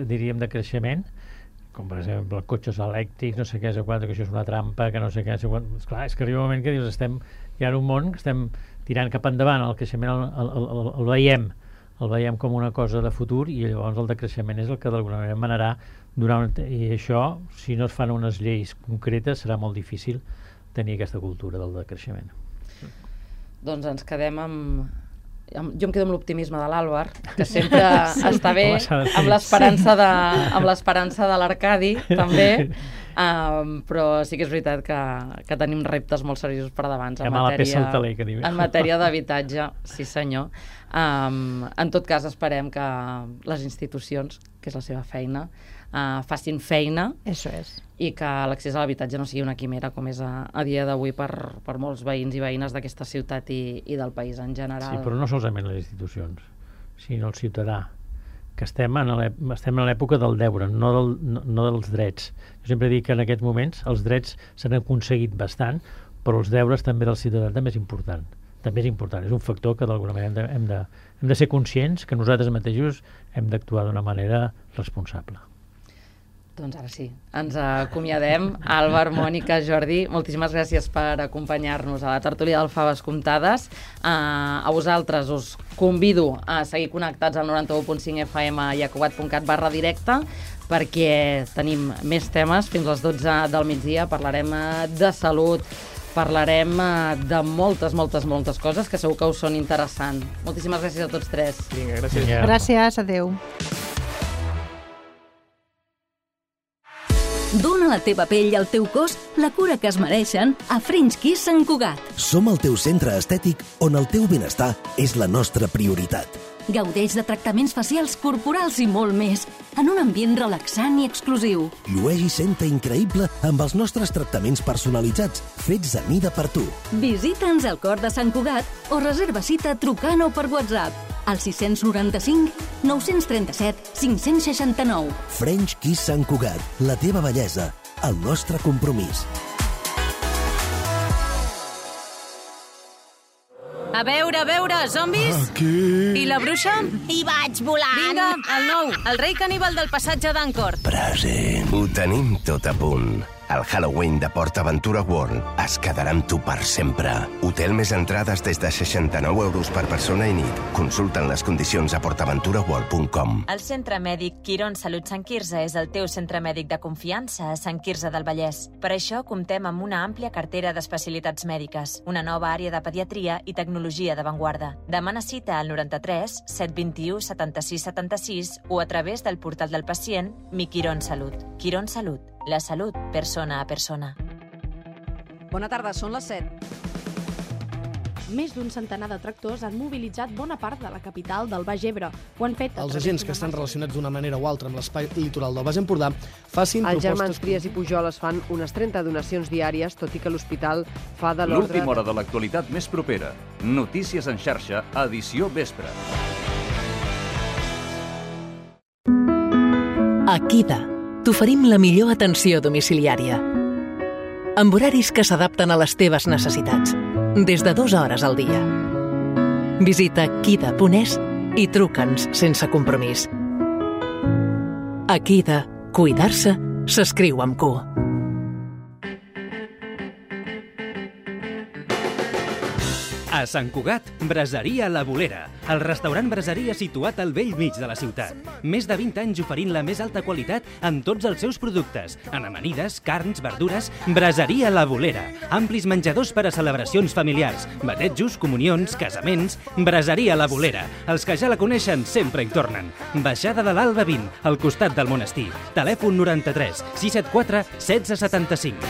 Speaker 6: diríem, de creixement, com per exemple cotxes elèctrics, no sé què, que això és una trampa, que no sé què, esclar, és que arriba un moment que dius, hi ha un món que estem tirant cap endavant, el creixement el veiem com una cosa de futur i llavors el decreixement és el que d'alguna manera manarà i això, si no es fan unes lleis concretes, serà molt difícil tenir aquesta cultura del decreixement.
Speaker 4: Doncs ens quedem amb... Jo em quedo amb l'optimisme de l'Àlvar, que sempre està bé, amb l'esperança de l'Arcadi, també, però sí que és veritat que tenim reptes molt seriosos per davant en matèria d'habitatge, sí senyor. En tot cas, esperem que les institucions, que és la seva feina, facin feina.
Speaker 3: Eso es.
Speaker 4: I que l'accés a l'habitatge no sigui una quimera com és a dia d'avui per molts veïns i veïnes d'aquesta ciutat i del país en general.
Speaker 6: Sí, però no solament les institucions, sinó el ciutadà, que estem en l'època del deure, no dels drets. Jo sempre dic que en aquests moments els drets s'han aconseguit bastant, però els deures també del ciutadà també és important. També és important, és un factor que d'alguna manera hem de ser conscients que nosaltres mateixos hem d'actuar d'una manera responsable.
Speaker 4: Doncs ara sí, ens acomiadem. Àlvar, Mònica, Jordi, moltíssimes gràcies per acompanyar-nos a la tertúlia del Faves Comptades. A vosaltres us convido a seguir connectats al 91.5 FM i a cugat.cat/directe perquè tenim més temes fins a les 12 del migdia. Parlarem de salut, parlarem de moltes coses que segur que us són interessants. Moltíssimes gràcies a tots tres.
Speaker 7: Vinga, gràcies.
Speaker 3: Gràcies, adeu.
Speaker 5: Dóna a la teva pell i al teu cos la cura que es mereixen a French Kiss Sant Cugat.
Speaker 8: Som el teu centre estètic on el teu benestar és la nostra prioritat.
Speaker 5: Gaudeix de tractaments facials, corporals i molt més, en un ambient relaxant i exclusiu.
Speaker 8: Llueix i senta increïble amb els nostres tractaments personalitzats, fets a mida per tu.
Speaker 5: Visita'ns al cor de Sant Cugat o reserva cita trucant o per WhatsApp al 695 937 569.
Speaker 8: French Kiss Sant Cugat, la teva bellesa, el nostre compromís.
Speaker 9: A veure, zombis?
Speaker 8: Aquí.
Speaker 9: I la bruixa?
Speaker 10: Hi vaig volant.
Speaker 9: Vinga, el 9, el rei caníbal del passatge d'Ancor.
Speaker 8: Present.
Speaker 11: Ho tenim tot a punt.
Speaker 10: El Halloween de PortAventura World es quedarà amb tu per sempre. Hotel més entrades des de 69 euros per persona i nit. Consulten les condicions a portaventuraworld.com.
Speaker 11: El Centre Mèdic Quirón Salut Sant Quirze és el teu centre mèdic de confiança a Sant Quirze del Vallès. Per això comptem amb una àmplia cartera d'especialitats mèdiques, una nova àrea de pediatria i tecnologia d'avantguarda. Demana cita al 93 721 76 76 o a través del portal del pacient Mi Quirón Salut. Quirón Salut. La salut, persona a persona.
Speaker 12: Bona tarda, són les 7. Més d'un centenar de tractors han mobilitzat bona part de la capital del Baix Ebre. Ho han fet
Speaker 13: els agents que estan relacionats d'una manera o altra amb l'espai litoral del Baix Empordà facin
Speaker 14: Els
Speaker 13: propostes...
Speaker 14: germans Trias i Pujol es fan unes 30 donacions diàries, tot i que l'hospital fa de l'ordre...
Speaker 2: L'última hora de l'actualitat més propera. Notícies en xarxa, edició vespre.
Speaker 15: A Kida t'oferim la millor atenció domiciliària, amb horaris que s'adapten a les teves necessitats, des de 2 hores al dia. Visita kida.es i truca'ns sense compromís. A Kida, cuidar-se s'escriu amb Q.
Speaker 16: A Sant Cugat, Braseria La Bolera, el restaurant braseria situat al vell mig de la ciutat. Més de 20 anys oferint la més alta qualitat en tots els seus productes, en amanides, carns, verdures. Braseria La Bolera, amplis menjadors per a celebracions familiars, batejos, comunions, casaments. Braseria La Bolera, els que ja la coneixen sempre hi tornen. Baixada de l'Alba 20, al costat del monestir. Telèfon 93 674 1675.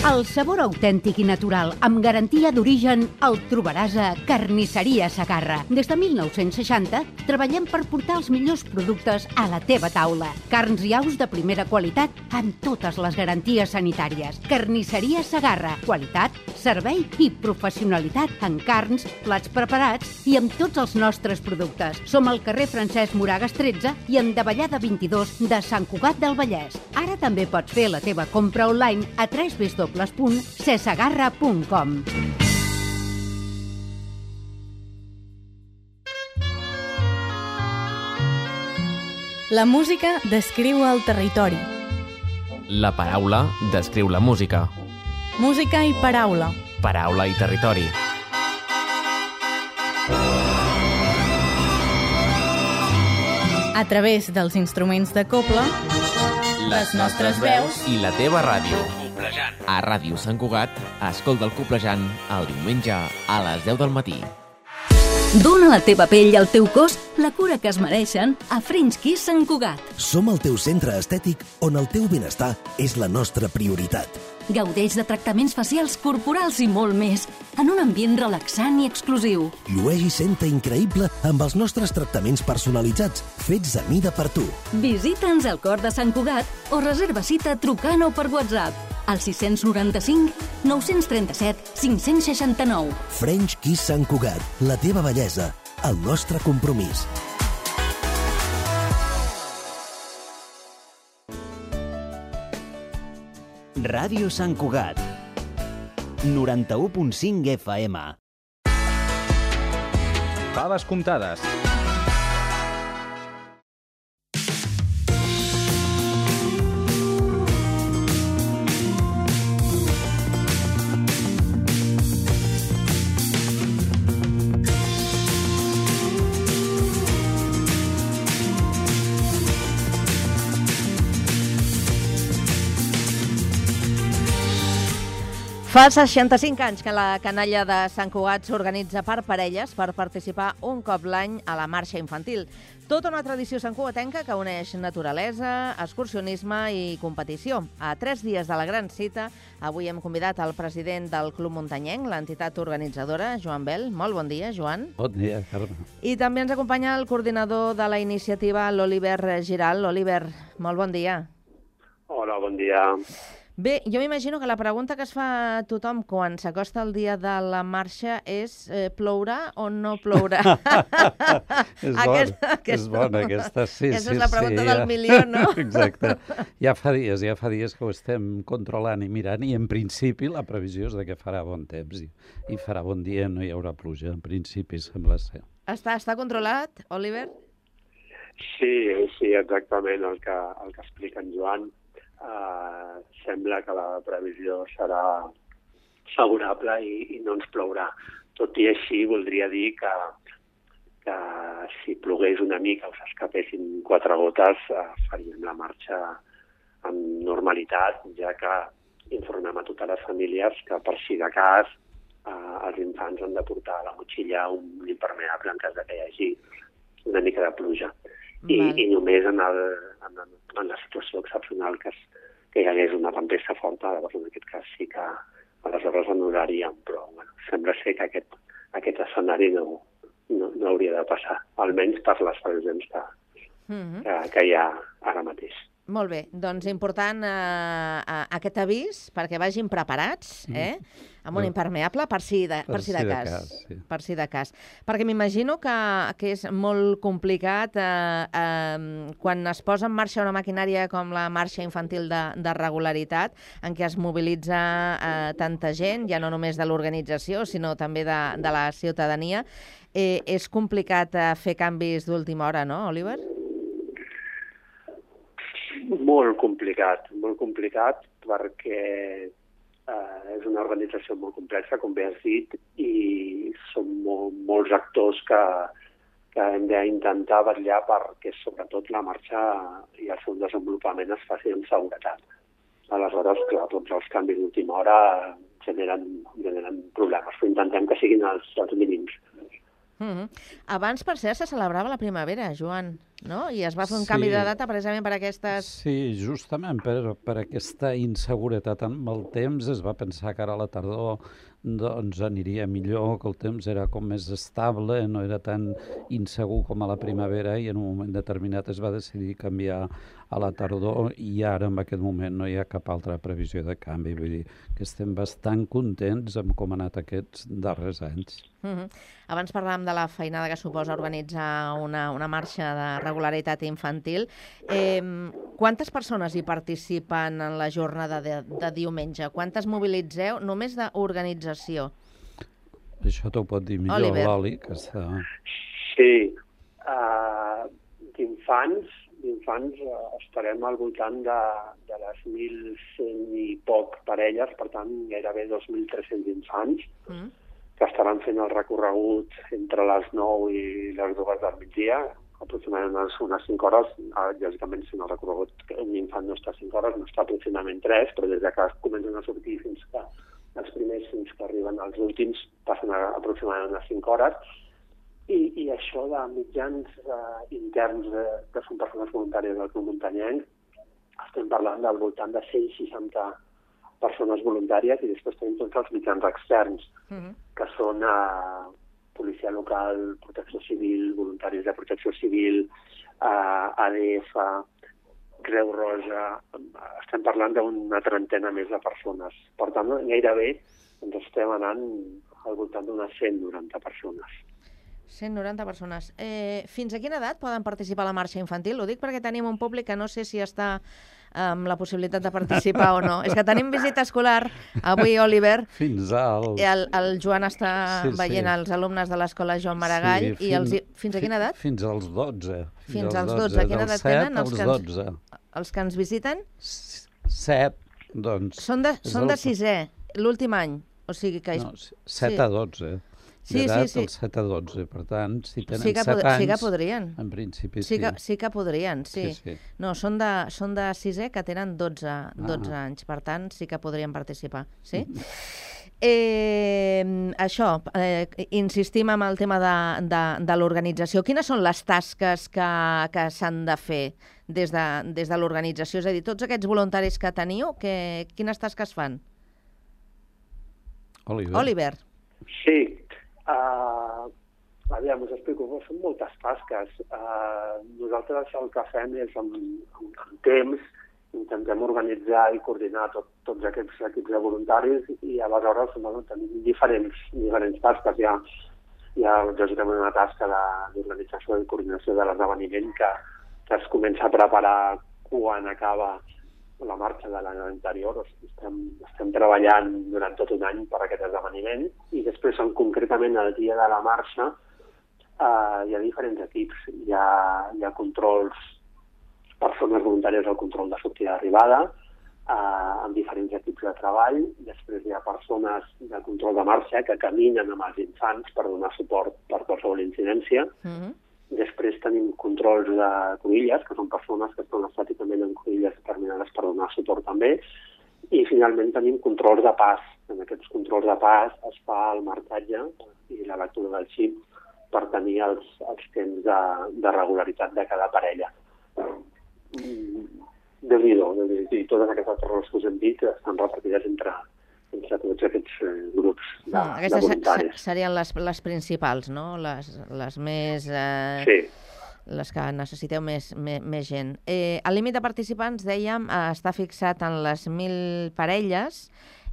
Speaker 17: El sabor autèntic i natural, amb garantia d'origen, el trobaràs a Carnisseria Segarra. Des de 1960 treballem per portar els millors productes a la teva taula. Carns i aus de primera qualitat amb totes les garanties sanitàries. Carnisseria Segarra. Qualitat, servei i professionalitat en carns, plats preparats i amb tots els nostres productes. Som al carrer Francesc Moragas 13 i en Davallada 22 de Sant Cugat del Vallès. Ara també pots fer la teva compra online a www.cesegarra.com.
Speaker 18: La música descriu el territori.
Speaker 19: La paraula descriu la música.
Speaker 18: Música i paraula.
Speaker 19: Paraula i territori.
Speaker 18: A través dels instruments de cobla, les nostres veus
Speaker 19: i la teva ràdio. A Ràdio Sant Cugat, escolta el Coplejant el diumenge a les 10 del matí.
Speaker 5: Dóna a la teva pell i al teu cos la cura que es mereixen a French Kiss Sant Cugat.
Speaker 8: Som el teu centre estètic on el teu benestar és la nostra prioritat.
Speaker 5: Gaudeix de tractaments facials, corporals i molt més, en un ambient relaxant i exclusiu.
Speaker 8: Llueix i senta increïble amb els nostres tractaments personalitzats, fets a mida per tu.
Speaker 5: Visita'ns al cor de Sant Cugat o reserva cita trucant o per WhatsApp al 695 937 569.
Speaker 8: French Kiss Sant Cugat, la teva bellesa, el nostre compromís.
Speaker 20: Ràdio Sant Cugat, 91.5 FM.
Speaker 2: Faves comptades.
Speaker 1: Fa 65 anys que la canalla de Sant Cugat s'organitza per parelles per participar un cop l'any a la marxa infantil. Tota una tradició santcugatenca que uneix naturalesa, excursionisme i competició. A 3 dies de la gran cita, avui hem convidat el president del Club Muntanyenc, l'entitat organitzadora, Joan Bel. Molt bon dia, Joan.
Speaker 21: Bon dia, Carme.
Speaker 1: I també ens acompanya el coordinador de la iniciativa, l'Oliver Giral. Oliver, molt bon dia.
Speaker 22: Hola, bon dia.
Speaker 1: Bé, jo m'imagino que la pregunta que es fa a tothom quan s'acosta el dia de la marxa és plourà o no plourà?
Speaker 21: És bona aquesta, sí.
Speaker 1: Aquesta és la pregunta del milió, no?
Speaker 21: Exacte. Ja fa dies que ho estem controlant i mirant i en principi la previsió és que farà bon temps i farà bon dia, no hi haurà pluja, en principi sembla ser.
Speaker 1: Està controlat, Oliver?
Speaker 22: Sí, exactament el que explica en Joan. Sembla que la previsió serà favorable i no ens plourà. Tot i així, voldria dir que si plogués una mica o s'escapessin 4 gotes, faríem la marxa amb normalitat, ja que informem a totes les famílies que, per si de cas, els infants han de portar a la motxilla un impermeable en cas que hi hagi una mica de pluja. I només en la situació excepcional que hi hagués una tempesta forta, llavors en aquest cas sí que aleshores anul·laríem, però sembla ser que aquest escenari no hauria de passar, almenys per les previsions que hi ha ara mateix.
Speaker 1: Molt bé, doncs important aquest avís perquè vagin preparats, amb un impermeable per si de cas. Per si de cas. Perquè m'imagino que és molt complicat quan es posa en marxa una maquinària com la marxa infantil de regularitat, en què es mobilitza tanta gent, ja no només de l'organització, sinó també de la ciutadania. És complicat fer canvis d'última hora, no, Oliver?
Speaker 22: Molt complicat perquè és una organització molt complexa, com bé has dit, i són molts actors que hem d'intentar vetllar perquè sobretot la marxa i el seu desenvolupament es faci amb seguretat. Aleshores, clar, tots els canvis d'última hora generen problemes, però intentem que siguin els mínims.
Speaker 1: Abans, per cert, se celebrava la primavera, Joan, no? I es va fer un canvi de data precisament per aquestes...
Speaker 21: Sí, justament per aquesta inseguretat amb el temps es va pensar que ara a la tardor doncs aniria millor, que el temps era com més estable, no era tan insegur com a la primavera i en un moment determinat es va decidir canviar a la tardor i ara en aquest moment no hi ha cap altra previsió de canvi. Vull dir que estem bastant contents amb com ha anat aquests darrers anys.
Speaker 1: Abans parlàvem de la feinada que suposa organitzar una marxa de regularitat infantil. Quantes persones hi participen en la jornada de diumenge? Quantes mobilitzeu només d'organització?
Speaker 21: Això t'ho pot dir millor l'Oli, que està...
Speaker 22: Sí, d'infants estarem al voltant de les 1.100 i poc parelles, per tant gairebé 2.300 infants, que estaran fent el recorregut entre les 9 i les 2 del migdia, aproximadament unes 5 hores. Lògicament, si no el recorregut, un infant no està 5 hores, no està aproximadament 3, però des que comencen a sortir fins que els primers fins que arriben als últims passen aproximadament unes 5 hores. I això de mitjans interns que són persones voluntàries del Club Muntanyenc, estem parlant del voltant de 160 persones voluntàries i després tenim tots els mitjans externs, que són policia local, protecció civil, voluntaris de protecció civil, ADF, Creu Roja, estem parlant d'una trentena més de persones. Per tant, gairebé ens estem anant al voltant d'unes 190 persones.
Speaker 1: 190 persones. Fins a quina edat poden participar a la marxa infantil? Ho dic perquè tenim un públic que no sé si està amb la possibilitat de participar o no. És que tenim visita escolar avui, Oliver.
Speaker 21: Fins al...
Speaker 1: El Joan està veient els alumnes de l'escola Joan Maragall. I fins a quina edat?
Speaker 21: Fins als 12.
Speaker 1: Fins als 12. Quina edat tenen?
Speaker 21: Dels 7 als 12.
Speaker 1: Els que ens visiten?
Speaker 21: 7, doncs.
Speaker 1: Són de 6è, l'últim any. O sigui que...
Speaker 21: No, 7 a 12.
Speaker 1: Sí.
Speaker 21: El 7 a 12, per tant, si tenen 7 anys...
Speaker 1: Sí que podrien.
Speaker 21: En principi sí.
Speaker 1: Sí que podrien, sí. No, són de 6è que tenen 12 anys, per tant, sí que podrien participar. Sí? Això, insistim en el tema de l'organització. Quines són les tasques que s'han de fer des de l'organització? És a dir, tots aquests voluntaris que teniu, quines tasques fan? Oliver.
Speaker 22: Sí. Aviam, us explico, són moltes tasques. Nosaltres el que fem és, amb temps, intentem organitzar i coordinar tots aquests equips de voluntaris i aleshores tenim diferents tasques. Hi ha lògicament una tasca d'organització i coordinació de l'esdeveniment que es comença a preparar quan acaba la marxa de l'any anterior. Estem treballant durant tot un any per aquest esdeveniment i després, concretament el dia de la marxa, hi ha diferents equips. Hi ha controls, persones voluntàries al control de sortida d'arribada, amb diferents equips de treball. Després hi ha persones de control de marxa que caminen amb els infants per donar suport per qualsevol incidència. Després tenim controls de cruïlles, que són persones que estan estàticament en cruïlles determinades per donar suport també. I finalment tenim controls de pas. En aquests controls de pas es fa el marcatge i la lectura del xip per tenir els temps de regularitat de cada parella. Déu-n'hi-do, i totes aquestes roles que us hem dit estan repartides entre tots aquests grups de voluntaris.
Speaker 1: Aquestes serien les principals, no? Les més...
Speaker 22: Sí.
Speaker 1: Les que necessiteu més gent. El límit de participants, dèiem, està fixat en les 1.000 parelles.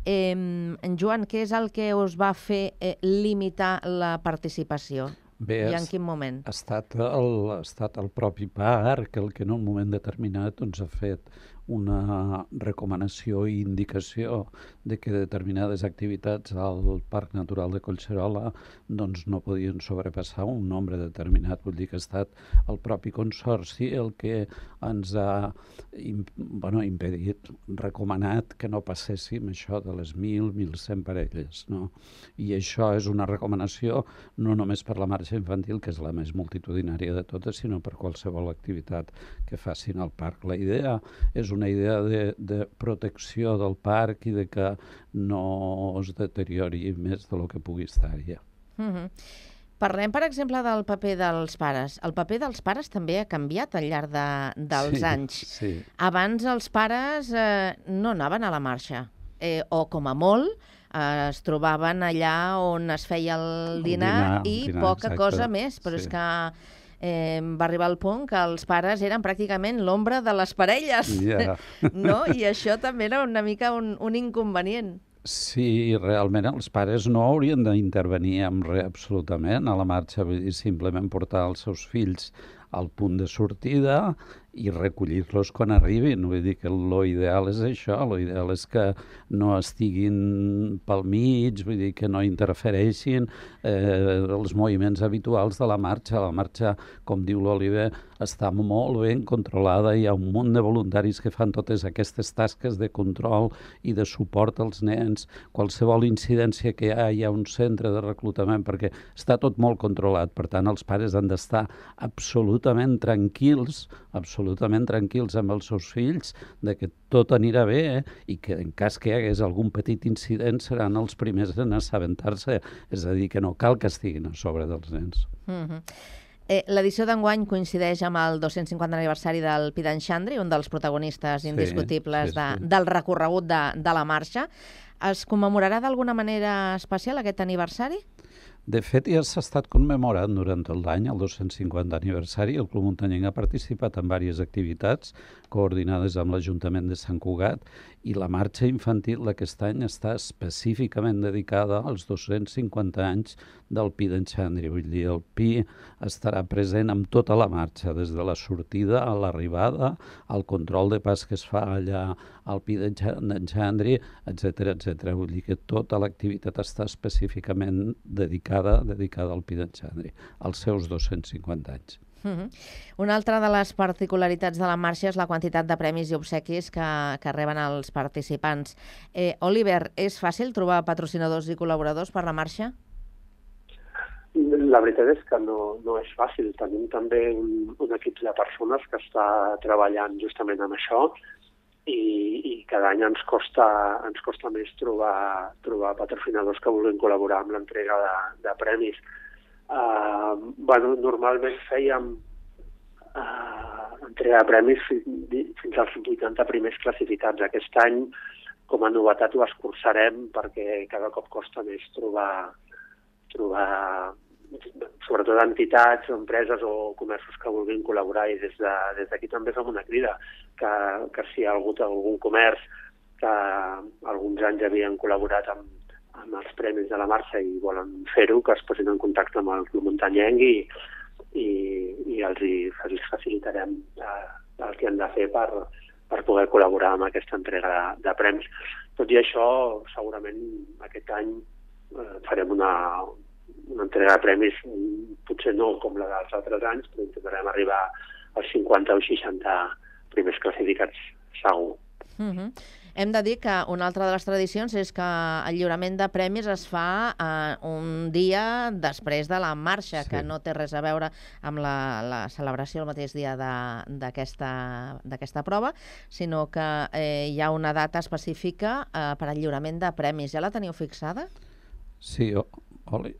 Speaker 1: Joan, què és el que us va fer limitar la participació?
Speaker 21: Bé,
Speaker 1: i en quin moment?
Speaker 21: Ha estat el propi parc el que en un moment determinat ha fet una recomanació i indicació de que determinades activitats al Parc Natural de Collserola doncs no podien sobrepassar un nombre determinat. Vull dir que ha estat el propi Consorci el que ens ha impedit, recomanat que no passéssim això de les 1.100 parelles. No? I això és una recomanació no només per la marxa infantil, que és la més multitudinària de totes, sinó per qualsevol activitat que facin al parc. La idea és una idea de protecció del parc i de que no es deteriori més del que pugui estar ja.
Speaker 1: Parlem, per exemple, del paper dels pares. El paper dels pares també ha canviat al llarg dels anys.
Speaker 21: Sí.
Speaker 1: Abans els pares no anaven a la marxa, o com a molt es trobaven allà on es feia el dinar i poca cosa més, però és que va arribar el punt que els pares eren pràcticament l'ombra de les parelles, no? I això també era una mica un inconvenient.
Speaker 21: Sí, realment els pares no haurien d'intervenir en res absolutament a la marxa, vull dir, simplement portar els seus fills al punt de sortida i recollir-los quan arribin. Vull dir que l'ideal és això, l'ideal és que no estiguin pel mig, vull dir que no interfereixin els moviments habituals de la marxa. La marxa, com diu l'Oliver, està molt ben controlada, hi ha un munt de voluntaris que fan totes aquestes tasques de control i de suport als nens. Qualsevol incidència que hi ha un centre de reclutament, perquè està tot molt controlat. Per tant, els pares han d'estar absolutament tranquils amb els seus fills, de que tot anirà bé i que en cas que hi hagués algun petit incident seran els primers en assabentar-se. És a dir, que no cal que estiguin a sobre dels nens.
Speaker 1: L'edició d'enguany coincideix amb el 250 aniversari del Pi d'en Xandri, un dels protagonistes indiscutibles del recorregut de la marxa. Es commemorarà d'alguna manera especial aquest aniversari?
Speaker 21: De fet, ja s'ha estat commemorant durant tot l'any, el 250 aniversari. El Club Muntanyenc ha participat en diverses activitats coordinades amb l'Ajuntament de Sant Cugat i la marxa infantil d'aquest any està específicament dedicada als 250 anys del Pi d'en Xandri. Vull dir, el Pi estarà present amb tota la marxa, des de la sortida a l'arribada, al control de pas que es fa allà al Pi d'en Xandri, etc. Vull dir que tota l'activitat està específicament dedicada al Pi d'en Xandri, als seus 250 anys.
Speaker 1: Una altra de les particularitats de la marxa és la quantitat de premis i obsequis que reben els participants. Oliver, és fàcil trobar patrocinadors i col·laboradors per la marxa?
Speaker 22: La veritat és que no és fàcil. Tenim també un equip de persones que està treballant justament amb això i cada any ens costa més trobar patrocinadors que vulguin col·laborar amb l'entrega de premis. Normalment fèiem entrega de premis fins als 80 primers classificats. Aquest any, com a novetat, ho escurçarem perquè cada cop costa més trobar sobretot entitats, empreses o comerços que vulguin col·laborar, i des d'aquí també fem una crida que si hi ha hagut algun comerç que alguns anys havien col·laborat amb els premis de la marxa i volen fer-ho, que es posin en contacte amb el Club Muntanyenc i els facilitarem el que han de fer per poder col·laborar amb aquesta entrega de premis. Tot i això, segurament aquest any farem una entrega de premis, potser no com la dels altres anys, però intentarem arribar als 50 o 60 primers classificats, segur.
Speaker 1: Hem de dir que una altra de les tradicions és que el lliurament de premis es fa un dia després de la marxa, que no té res a veure amb la celebració el mateix dia d'aquesta prova, sinó que hi ha una data específica per al lliurament de premis. Ja la teniu fixada?
Speaker 21: Sí,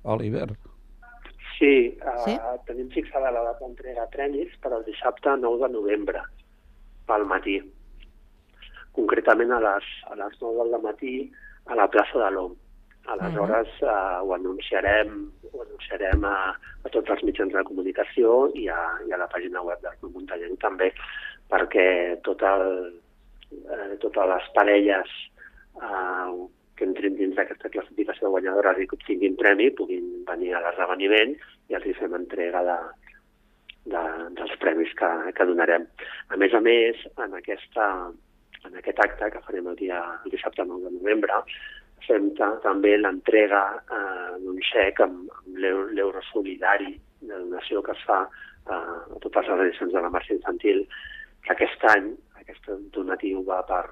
Speaker 21: Oliver.
Speaker 22: Sí, tenim fixada la data d'entrega de premis per al dissabte 9 de novembre, al matí. Concretament a les 9 del matí a la plaça de l'OM. Aleshores ho anunciarem a tots els mitjans de comunicació i a la pàgina web del Club Muntanyenc també, perquè totes les parelles que entrin dins d'aquesta classificació de guanyadores i que obtinguin premi puguin venir a l'esdeveniment i els hi fem entrega dels premis que donarem. A més, en aquest acte que farem el dissabte 9 de novembre, fem també l'entrega d'un xec amb l'euro solidari de donació que es fa a totes les edicions de la marxa infantil, que aquest any, aquest donatiu va per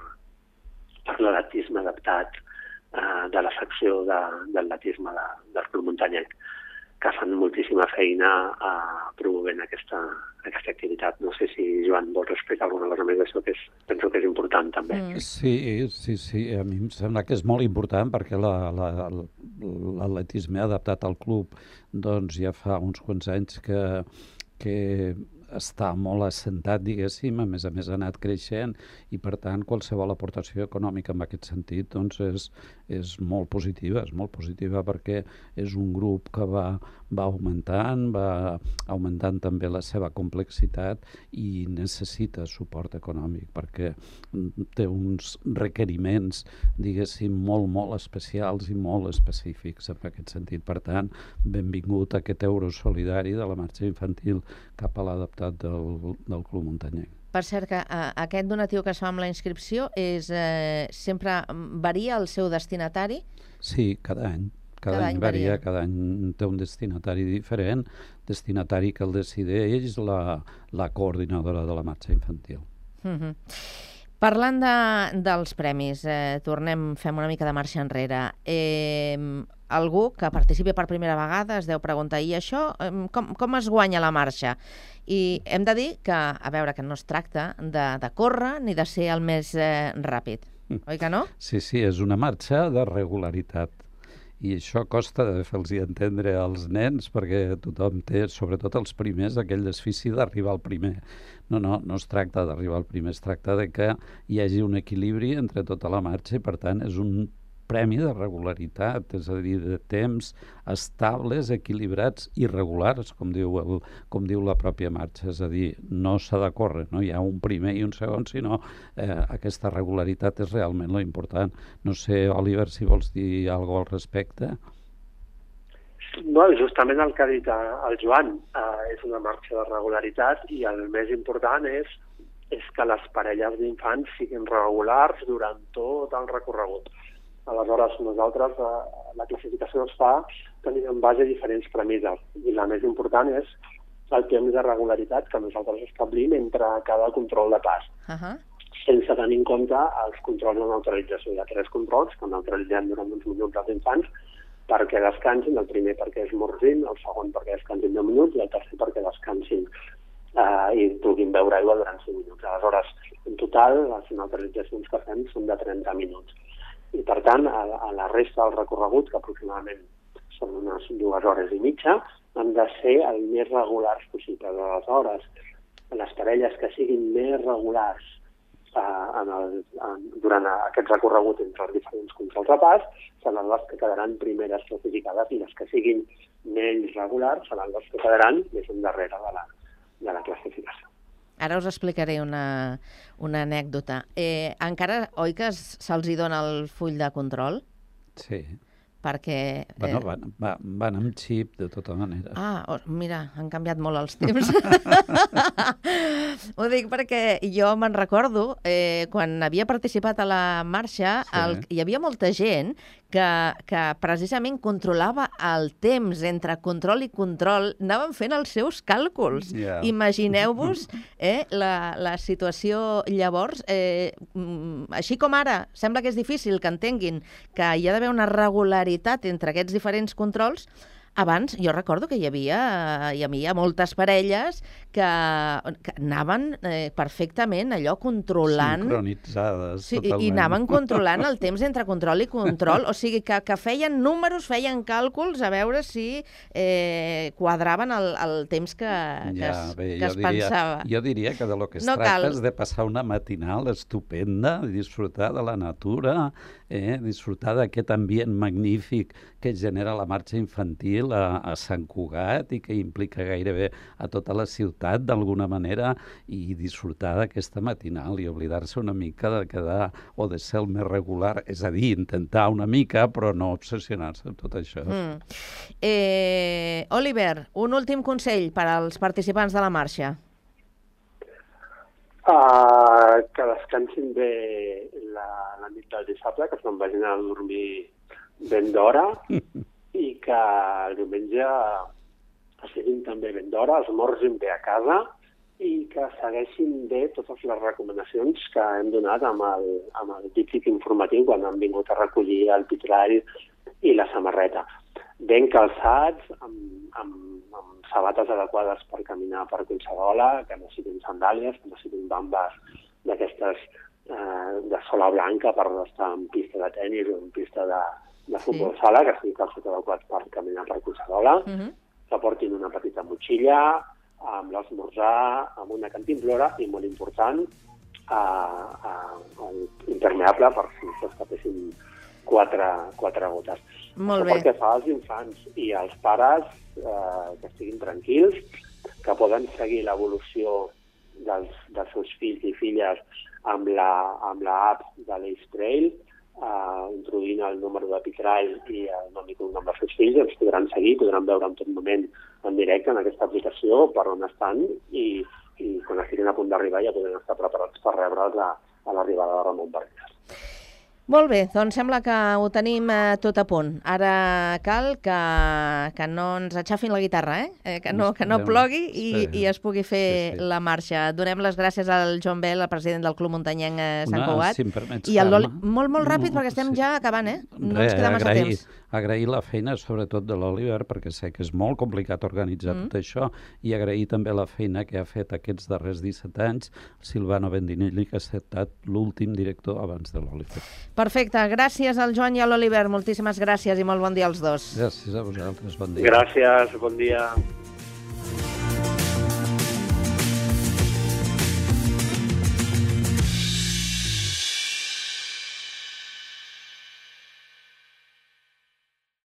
Speaker 22: l'atletisme adaptat de la secció d'atletisme del Club Muntanyenc, que fan moltíssima feina promovent aquesta activitat. No sé si, Joan, vols explicar alguna cosa més d'això, que penso que és important també.
Speaker 21: Sí, a mi em sembla que és molt important perquè l'atletisme adaptat al club doncs ja fa uns quants anys que està molt assentat, diguéssim, a més ha anat creixent i, per tant, qualsevol aportació econòmica en aquest sentit doncs és molt positiva perquè és un grup que va augmentant també la seva complexitat i necessita suport econòmic perquè té uns requeriments, diguéssim, molt especials i molt específics en aquest sentit. Per tant, benvingut a aquest euro solidari de la marxa infantil cap a l'adaptació del Club Muntanyenc.
Speaker 1: Per cert, que aquest donatiu que es fa amb la inscripció sempre varia el seu destinatari?
Speaker 21: Sí, cada any. Cada any varia, cada any té un destinatari diferent, destinatari que el decideix la coordinadora de la marxa infantil.
Speaker 1: Parlant dels premis, fem una mica de marxa enrere. Algú que participi per primera vegada es deu preguntar, i això com es guanya la marxa? I hem de dir que, a veure, que no es tracta de córrer ni de ser el més ràpid, oi que no?
Speaker 21: Sí, és una marxa de regularitat. I això costa de fer-los entendre als nens perquè tothom té, sobretot els primers, aquell desfici d'arribar al primer. No es tracta d'arribar al primer, es tracta de que hi hagi un equilibri entre tota la marxa i, per tant, és un premi de regularitat, és a dir, de temps estables, equilibrats i regulars, com diu la pròpia marxa. És a dir, no s'ha de córrer, no hi ha un primer i un segon, sinó aquesta regularitat és realment lo important. No sé, Oliver, si vols dir alguna cosa al respecte.
Speaker 22: No, justament el que ha dit el Joan, és una marxa de regularitat i el més important és que les parelles d'infants siguin regulars durant tot el recorregut. Aleshores, nosaltres, la classificació es fa tenint en base diferents premisses i la més important és el temps de regularitat que nosaltres establim entre cada control de pas, sense tenir en compte els controls de neutralització. Hi ha 3 controls que neutralitzem durant uns minuts als infants perquè descansin, el primer perquè esmorzin, el segon perquè descansin 10 minuts i el tercer perquè descansin i puguin beure aigua durant 5 minuts. Aleshores, en total, les neutralitzacions que fem són de 30 minuts. I, per tant, a la resta del recorregut, que aproximadament són unes 2 hores i mitja, han de ser el més regulars possible. Aleshores, les parelles que siguin més regulars durant aquest recorregut entre els diferents controls de pas seran les que quedaran primeres classificades i les que siguin menys regulars seran les que quedaran més endarrere de la classificació.
Speaker 1: Ara us explicaré una anècdota. Encara, oi que se'ls dona el full de control?
Speaker 21: Sí.
Speaker 1: Perquè...
Speaker 21: Bueno, van amb xip, de tota manera.
Speaker 1: Mira, han canviat molt els temps. Ho dic perquè jo me'n recordo, quan havia participat a la marxa, hi havia molta gent que precisament controlava el temps entre control i control, anaven fent els seus càlculs. Imagineu-vos la situació llavors. Així com ara, sembla que és difícil que entenguin que hi ha d'haver una regularitat entre aquests diferents controls. Abans, jo recordo que hi havia moltes parelles que anaven perfectament allò controlant...
Speaker 21: Sincronitzades, totalment.
Speaker 1: I anaven controlant el temps entre control i control. O sigui, que feien números, feien càlculs a veure si quadraven el temps que es pensava.
Speaker 21: Jo diria que de lo que es tracta és de passar una matinal estupenda, disfrutar de la natura, disfrutar d'aquest ambient magnífic que genera la marxa infantil a Sant Cugat i que implica gairebé a tota la ciutat d'alguna manera, i disfrutar d'aquesta matinal i oblidar-se una mica de quedar o de ser el més regular, és a dir, intentar una mica però no obsessionar-se amb tot això.
Speaker 1: Oliver, un últim consell per als participants de la marxa.
Speaker 22: Que descansin bé la nit del dissabte, que se'n vagin a dormir ben d'hora i que el diumenge estiguin també ben d'hora, esmorzin bé a casa i que segueixin bé totes les recomanacions que hem donat amb el díptic informatiu quan han vingut a recollir el vitrall i la samarreta. Ben calçats, amb sabates adequades per caminar per Collserola, que no siguin sandàlies, que no siguin bambes d'aquestes de sola blanca per estar en pista de tenis o en pista de futbol sala, que sigui calçat adequat per caminar per Collserola, que portin una petita motxilla, amb l'esmorzar, amb una cantimplora i, molt important, impermeable per si s'escapessin quatre gotes.
Speaker 1: Molt bé.
Speaker 22: Pel que fa als infants i als pares, que estiguin tranquils, que poden seguir l'evolució dels seus fills i filles amb l'app de l'Ace Trail, introduint el número de vitrall i el nom i cognom dels seus fills, els podran seguir, podran veure en tot moment en directe en aquesta aplicació per on estan i quan estiguin a punt d'arribar ja poden estar preparats per rebre'ls a l'arribada de Ramon Barquer.
Speaker 1: Molt bé, doncs sembla que ho tenim tot a punt. Ara cal que no ens aixafin la guitarra, que no plogui i es pugui fer la marxa. Donem les gràcies al Joan Bel, el president del Club Muntanyenc Sant Cugat.
Speaker 21: Si em
Speaker 1: molt ràpid, perquè estem ja acabant, no ens queda massa temps.
Speaker 21: Agrair la feina, sobretot de l'Oliver, perquè sé que és molt complicat organitzar tot això, i agrair també la feina que ha fet aquests darrers 17 anys Silvano Bendinelli, que ha estat l'últim director abans de l'Oliver.
Speaker 1: Perfecte, gràcies al Joan i a l'Oliver, moltíssimes gràcies i molt bon dia als dos.
Speaker 21: Gràcies a vosaltres, bon dia.
Speaker 22: Gràcies, bon dia.